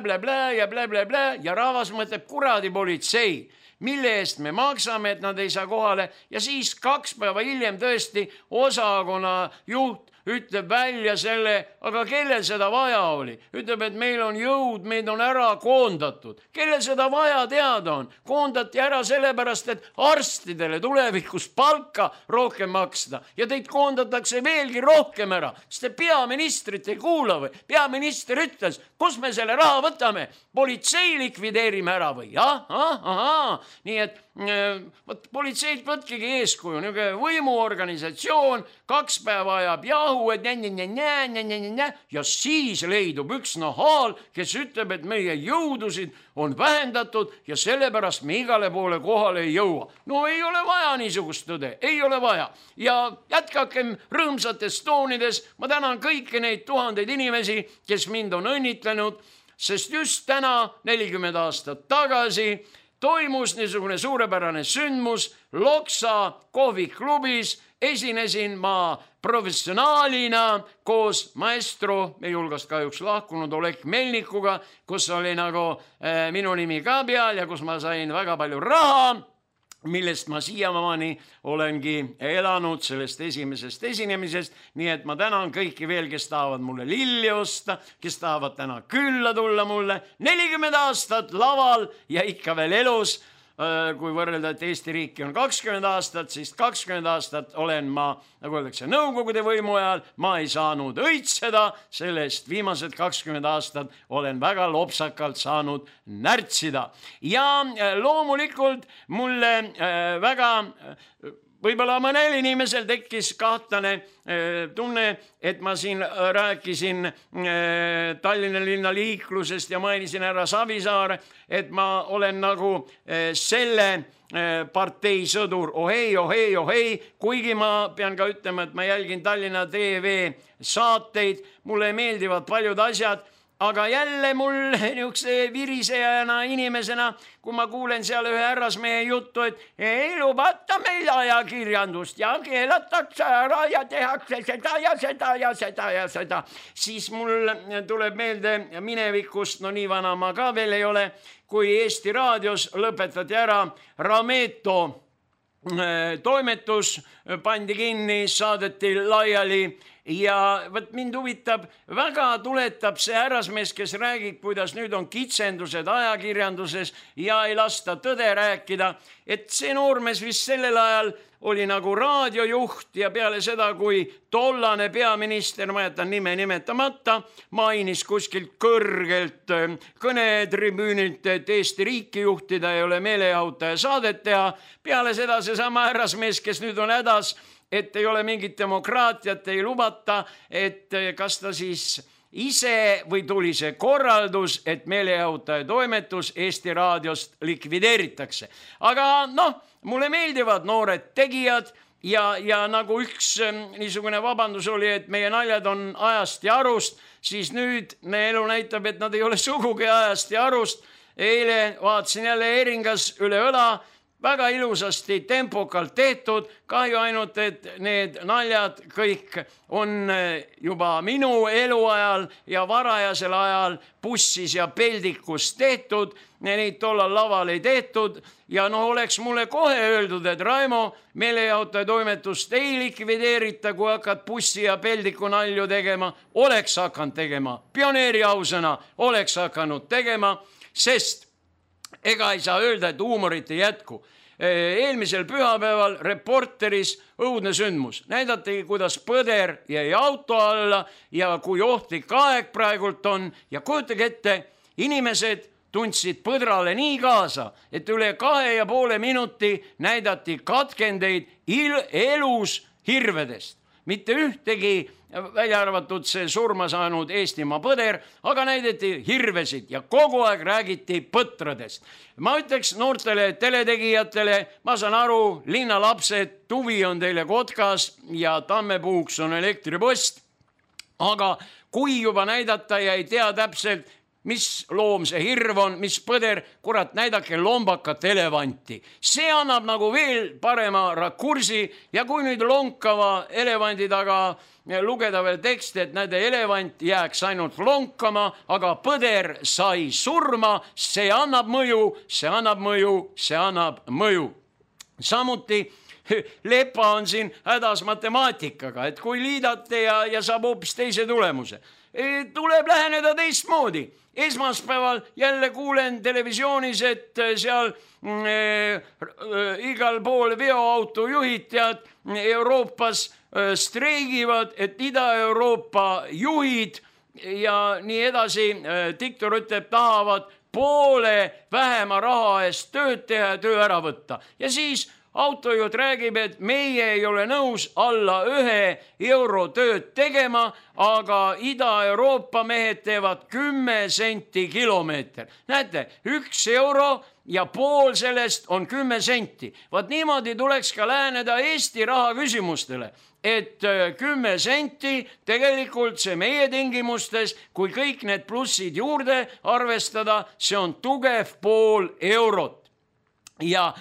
ja rahvas mõtleb kuradi politsei, mille eest me maksame, et nad ei saa kohale ja siis 2 päeva hiljem tõesti osakonna juht ütleb välja selle, aga kellel seda vaja oli? Ütleb, et meil on jõud, meid on ära koondatud. Kellel seda vaja teada on? Koondati ära sellepärast, et arstidele tulevikus palka rohkem maksta ja teid koondatakse veelgi rohkem ära. Sest te peaministrit ei kuula või? Peaminister ütles, kus me selle raha võtame? Politsei likvideerime ära või? Nii et politseit võtkegi eeskuju, võimuorganisatsioon 2 päeva ajab jahu, et ja siis leidub üks nahaal, kes ütleb, et meie jõudusid on vähendatud ja sellepärast me igale poole kohale ei jõua. No ei ole vaja niisugust tõde, ei ole vaja. Ja jätkakem rõõmsates toonides, ma tänan kõiki neid tuhandeid inimesi, kes mind on õnnitlenud, sest just täna 40 aastat tagasi toimus niisugune suurepärane sündmus Loksa kohviklubis. Esinesin ma professionaalina koos maestro, meie hulgast kahjuks lahkunud Oleg Melnikuga, kus oli nagu minu nimi ka peal ja kus ma sain väga palju raha, millest ma siiamaani olengi elanud sellest esimesest esinemisest. Nii et ma tänan kõiki veel, kes tahavad mulle lilli osta, kes tahavad täna külla tulla mulle. 40 aastat laval ja ikka veel elus. kui võrrelda, et Eesti riiki on 20 aastat, siis 20 aastat olen ma, nagu öeldakse, nõukogude võimu ajal, ma ei saanud õitseda, sellest viimased 20 aastat olen väga lopsakalt saanud närtsida. Ja loomulikult mulle väga võib-olla mõnel inimesel tekkis kahtlane tunne, et ma siin rääkisin Tallinna linna liiklusest ja mainisin härra Savisaare, et ma olen nagu selle partei sõdur, ohei, kuigi ma pean ka ütlema, et ma jälgin Tallinna TV saateid, mulle meeldivad paljud asjad, aga jälle mul niisuguse virisejana inimesena, kui ma kuulen seal ühe härrasmehe juttu, et ei lubata meil ajakirjandust ja keelatakse ära ja tehakse seda ja seda ja seda ja seda, siis mul tuleb meelde minevikust, no nii vana ma ka veel ei ole, kui Eesti Raadios lõpetati ära Rameto toimetus, pandi kinni, saadeti laiali ja võt mind huvitab, väga tuletab see härrasmees, kes räägib, kuidas nüüd on kitsendused ajakirjanduses ja ei lasta tõde rääkida, et see noormees vist sellel ajal oli nagu raadiojuht ja peale seda, kui tollane peaminister, ma jätan nime nimetamata, mainis kuskilt kõrgelt kõnetribüünilt, et Eesti riiki juhtida ei ole meelejahutaja saadet teha, peale seda seesama härrasmees, kes nüüd on hädas, et ei ole mingit demokraatiat, ei lubata, et kas ta siis ise või tuli see korraldus, et meelejahutaja toimetus Eesti Raadiost likvideeritakse. Aga noh, mulle meeldivad noored tegijad ja nagu üks niisugune vabandus oli, et meie naljad on ajast ja arust, siis nüüd elu näitab, et nad ei ole sugugi ajast ja arust. Eile vaatasin jälle Eringas üle õla, väga ilusasti tempokalt tehtud, kahju ainult, et need naljad kõik on juba minu eluajal ja varajasel ajal bussis ja peldikus tehtud, neid tollal laval ei tehtud ja oleks mulle kohe öeldud, et Raimo, meelejahutaja toimetust ei likvideerita, kui hakkad bussi ja peldiku nalju tegema, oleks hakanud tegema, pioneeri ausõna oleks hakanud tegema, sest ega ei saa öelda, et huumorit ei jätku. Eelmisel pühapäeval Reporteris õudne sündmus. Näidati, kuidas põder jäi auto alla ja kui ohtlik aeg praegult on ja kujutage ette, inimesed tundsid põdrale nii kaasa, et üle 2,5 minuti näidati katkendeid elus hirvedest. Mitte ühtegi, välja arvatud see surma saanud Eestimaa põder, aga näidati hirvesid ja kogu aeg räägiti põtradest. Ma ütleks noortele teletegijatele, ma saan aru, linnalapsed, tuvi on teile kotkas ja tammepuuks on elektripost, aga kui juba näidata ja ei tea täpselt, mis loom see hirv on, mis põder, kurat, näidake lombakat elevanti. See annab nagu veel parema rakursi ja kui nüüd lonkava elevandi taga lugeda veel teksti, et näide, elevant jääks ainult lonkama, aga põder sai surma, see annab mõju, see annab mõju, see annab mõju. Samuti Lepa on siin hädas matemaatikaga, et kui liidate ja saab hoopis teise tulemuse. Tuleb läheneda teistmoodi. Esmaspäeval jälle kuulen televisioonis, et seal igal pool veoautojuhid tead Euroopas streigivad, et Ida-Euroopa juhid ja nii edasi, diktor ütleb, tahavad poole vähema raha eest tööd teha ja töö ära võtta. Ja siis autojuht räägib, et meie ei ole nõus alla 1 euro tööd tegema, aga Ida-Euroopa mehed teevad 10 senti kilomeeter. Näete, 1 euro ja pool sellest on 10 senti. Vaat niimoodi tuleks ka läheneda Eesti raha küsimustele, et 10 senti tegelikult see meie tingimustes, kui kõik need plussid juurde arvestada, see on tugev 0,5 eurot. Ja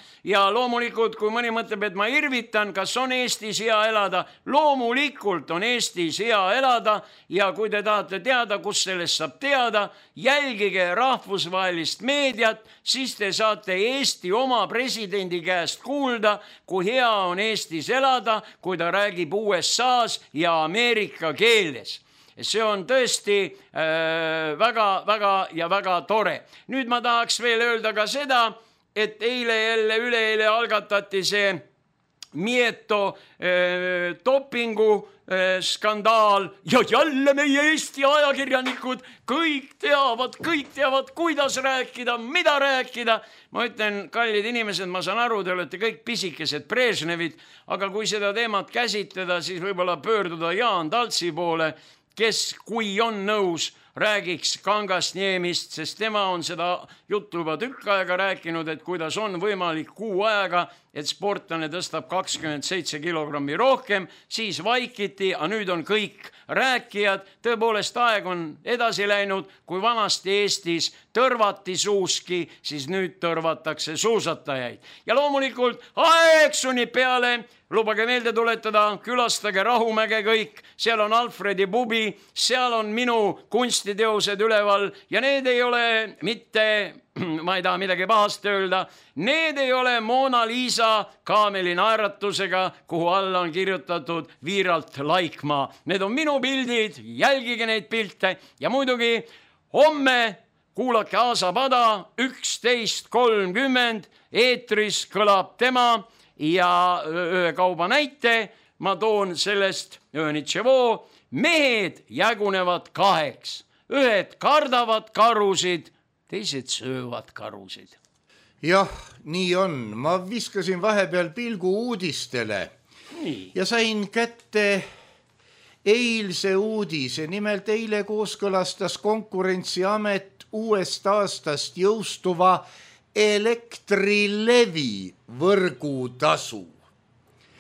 loomulikult, kui mõni mõtleb, et ma irvitan, kas on Eestis hea elada, loomulikult on Eestis hea elada ja kui te tahate teada, kus sellest saab teada, jälgige rahvusvahelist meediat, siis te saate Eesti oma presidendi käest kuulda, kui hea on Eestis elada, kui ta räägib USA-s ja Ameerika keeles. See on tõesti väga ja väga tore. Nüüd ma tahaks veel öelda ka seda, et eile jälle üleeile algatati see Mieto dopingu skandaal ja jälle meie Eesti ajakirjanikud kõik teavad, kuidas rääkida, mida rääkida. Ma ütlen, kallid inimesed, ma saan aru, te olete kõik pisikesed Brežnevid, aga kui seda teemat käsitleda, siis võib-olla pöörduda Jaan Taltsi poole, kes, kui on nõus, räägiks Kangast Niemist, sest tema on seda juttu juba tükk aega rääkinud, et kuidas on võimalik kuu ajaga, et sportlane tõstab 27 kilogrammi rohkem, siis vaikiti, aga nüüd on kõik rääkijad. Tõepoolest aeg on edasi läinud, kui vanasti Eestis tõrvati suuski, siis nüüd tõrvatakse suusatajaid. Ja loomulikult aeg sunnib peale. Lubage meelde tuletada, külastage Rahumäge kõik, seal on Alfredi pubi, seal on minu kunstiteosed üleval ja need ei ole mitte, ma ei taha midagi pahast öelda, need ei ole Mona Lisa kaameli naeratusega, kuhu alla on kirjutatud Viiralt Laikmaa. Need on minu pildid, jälgige neid pilte ja muidugi homme kuulake Aasa Pada 11.30, eetris kõlab tema ja öökauba näite ma toon sellest Öönitševoo. Mehed jagunevad kaheks. Ühed kardavad karusid, teised söövad karusid. Jah, nii on. Ma viskasin vahepeal pilgu uudistele ja sain kätte eilse uudise. Nimelt eile kooskõlastas Konkurentsiamet uuest aastast jõustuva Elektrilevi võrgutasu.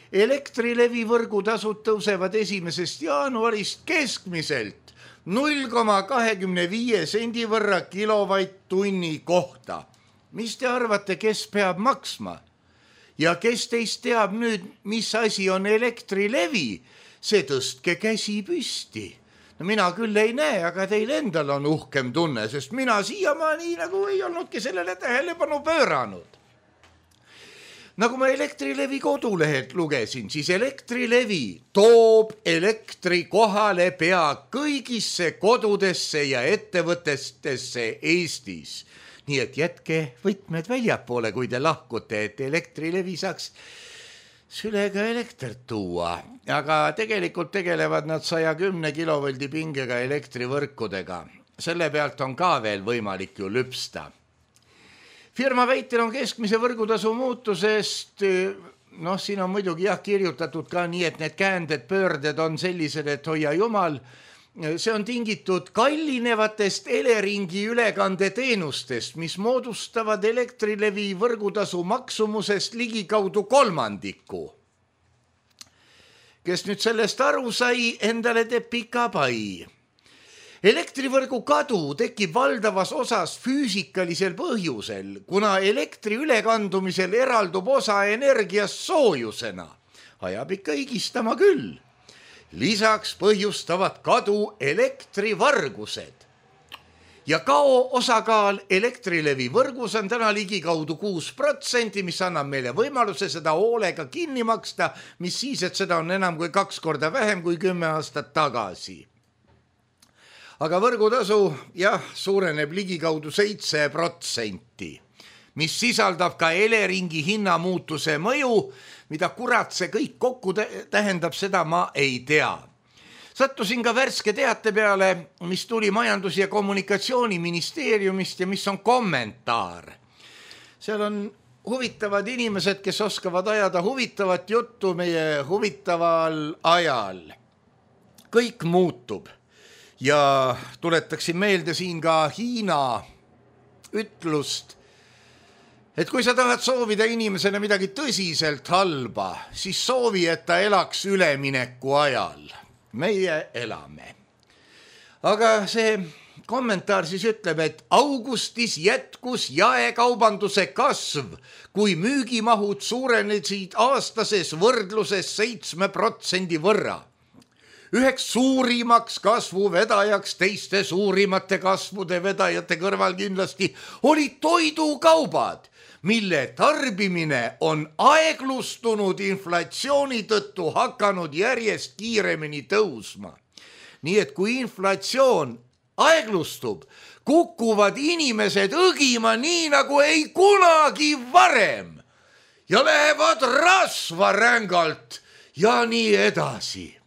Elektrilevi võrgutasud tõusevad 1. jaanuarist keskmiselt 0,25 sendi võrra kilovatt-tunni kohta. Mis te arvate, kes peab maksma? Ja kes teist teab nüüd, mis asi on Elektrilevi? See tõstke käsi püsti. No mina küll ei näe, aga teil endal on uhkem tunne, sest mina siiamaani nagu ei olnudki sellele tähelepanu pööranud. Nagu ma Elektrilevi kodulehelt lugesin, siis Elektrilevi toob elektri kohale pea kõigisse kodudesse ja ettevõtetesse Eestis. Nii et jätke võtmed väljapoole, kui te lahkute, et Elektrilevi saaks sülega elektrit tuua, aga tegelikult tegelevad nad 110 kilovoldi pingega elektrivõrkudega. Selle pealt on ka veel võimalik ju lüpsta. Firma väitel on keskmise võrgutasu muutusest, siin on muidugi kirjutatud ka nii, et need käänded, pöörded on sellised, et hoia jumal. See on tingitud kallinevatest Eleringi ülekandeteenustest, mis moodustavad Elektrilevi võrgutasu maksumusest ligikaudu 1/3. Kes nüüd sellest aru sai, endale teeb pika pai. Elektrivõrgu kadu tekib valdavas osas füüsikalisel põhjusel, kuna elektri ülekandumisel eraldub osa energiast soojusena. Ajab ikka higistama küll. Lisaks põhjustavad kadu elektrivargused. Ja kao osakaal Elektrilevi võrgus on täna ligikaudu 6%, mis annab meile võimaluse seda hoolega kinni maksta, mis siis, et seda on enam kui 2 korda vähem kui 10 aastat tagasi. Aga võrgutasu, suureneb ligikaudu 7%, mis sisaldab ka Eleringi hinnamuutuse mõju, mida kurat see kõik kokku tähendab, seda ma ei tea. Sattusin ka värske teate peale, mis tuli Majandus- ja Kommunikatsiooniministeeriumist ja mis on kommentaar. Seal on huvitavad inimesed, kes oskavad ajada huvitavat juttu meie huvitaval ajal. Kõik muutub ja tuletaksin meelde siin ka Hiina ütlust, et kui sa tahad soovida inimesele midagi tõsiselt halba, siis soovi, et ta elaks ülemineku ajal. Meie elame. Aga see kommentaar siis ütleb, et augustis jätkus jaekaubanduse kasv, kui müügimahud suurenesid aastases võrdluses 7% võrra. Üheks suurimaks kasvuvedajaks teiste suurimate kasvude vedajate kõrval kindlasti olid toidukaubad, mille tarbimine on aeglustunud inflatsiooni tõttu hakanud järjest kiiremini tõusma. Nii et kui inflatsioon aeglustub, kukuvad inimesed õgima nii nagu ei kunagi varem ja lähevad rasva rängalt ja nii edasi.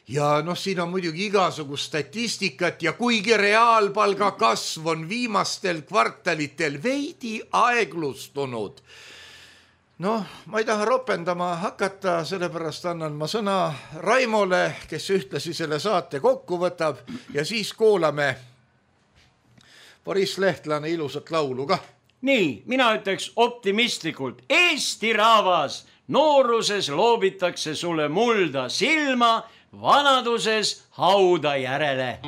Ja siin on muidugi igasugust statistikat ja kuigi reaalpalga kasv on viimastel kvartalitel veidi aeglustunud. Ma ei taha ropendama hakata, sellepärast annan ma sõna Raimole, kes ühtlasi selle saate kokku võtab ja siis kuulame Boris Lehtlane ilusat laulu ka. Nii, mina ütleks optimistlikult. Eesti rahvas, nooruses loobitakse sulle mulda silma, vanaduses hauda järele.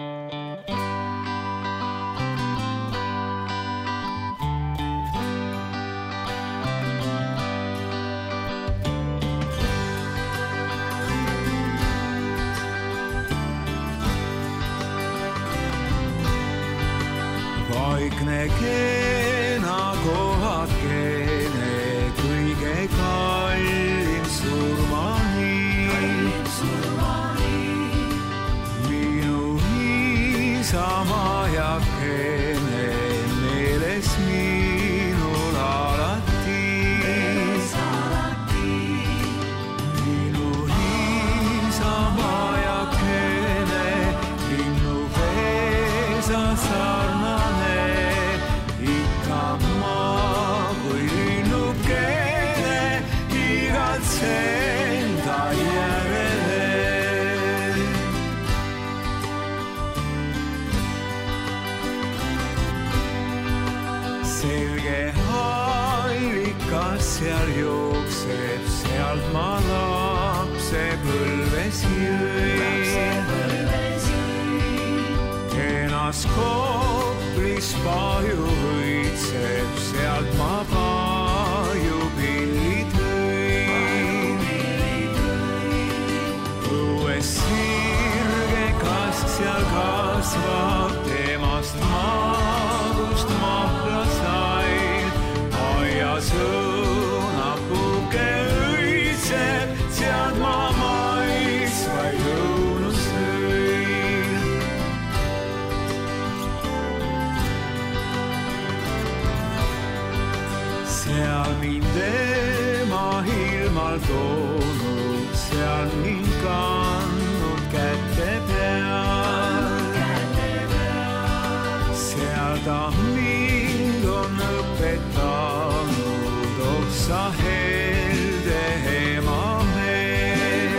Vaikne keena kohakene, kõige kallim surmani. Minu isamajakene meeles minul alati. Minu isamajakene linnu pesa sarnane. Ikka ma kui linnukene igatsenda järele. Selge allikas seal jookseb, sealt ma lapse põlves jõin. Kenas Koplis paju võitseb, sealt ma paju pilli tõin. Õues sirge kask seal kasvab, temast magust mahla sain. Aias õunapuke õitseb, sealt ma maitsvaid õunu sõin. Seal mind ema ilmal toonud, seal mind kandnud kätte peal. Seal ta mind on õpetanud, sa helde ema meel.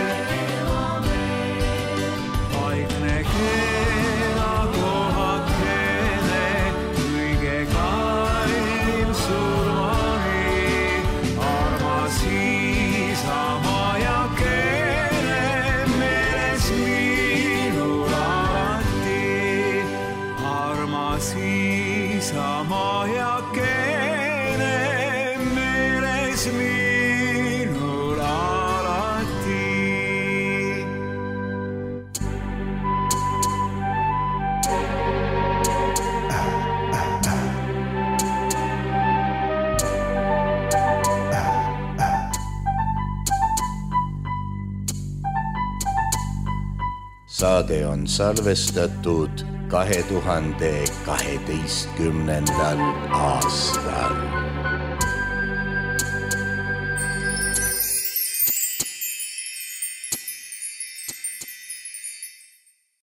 Vaikne keena kohakene, kõige kallim surmani. Armas isamajakene meeles minul alati. Armas isamajakene meeles minul alati. Saade on salvestatud 2012. aastal.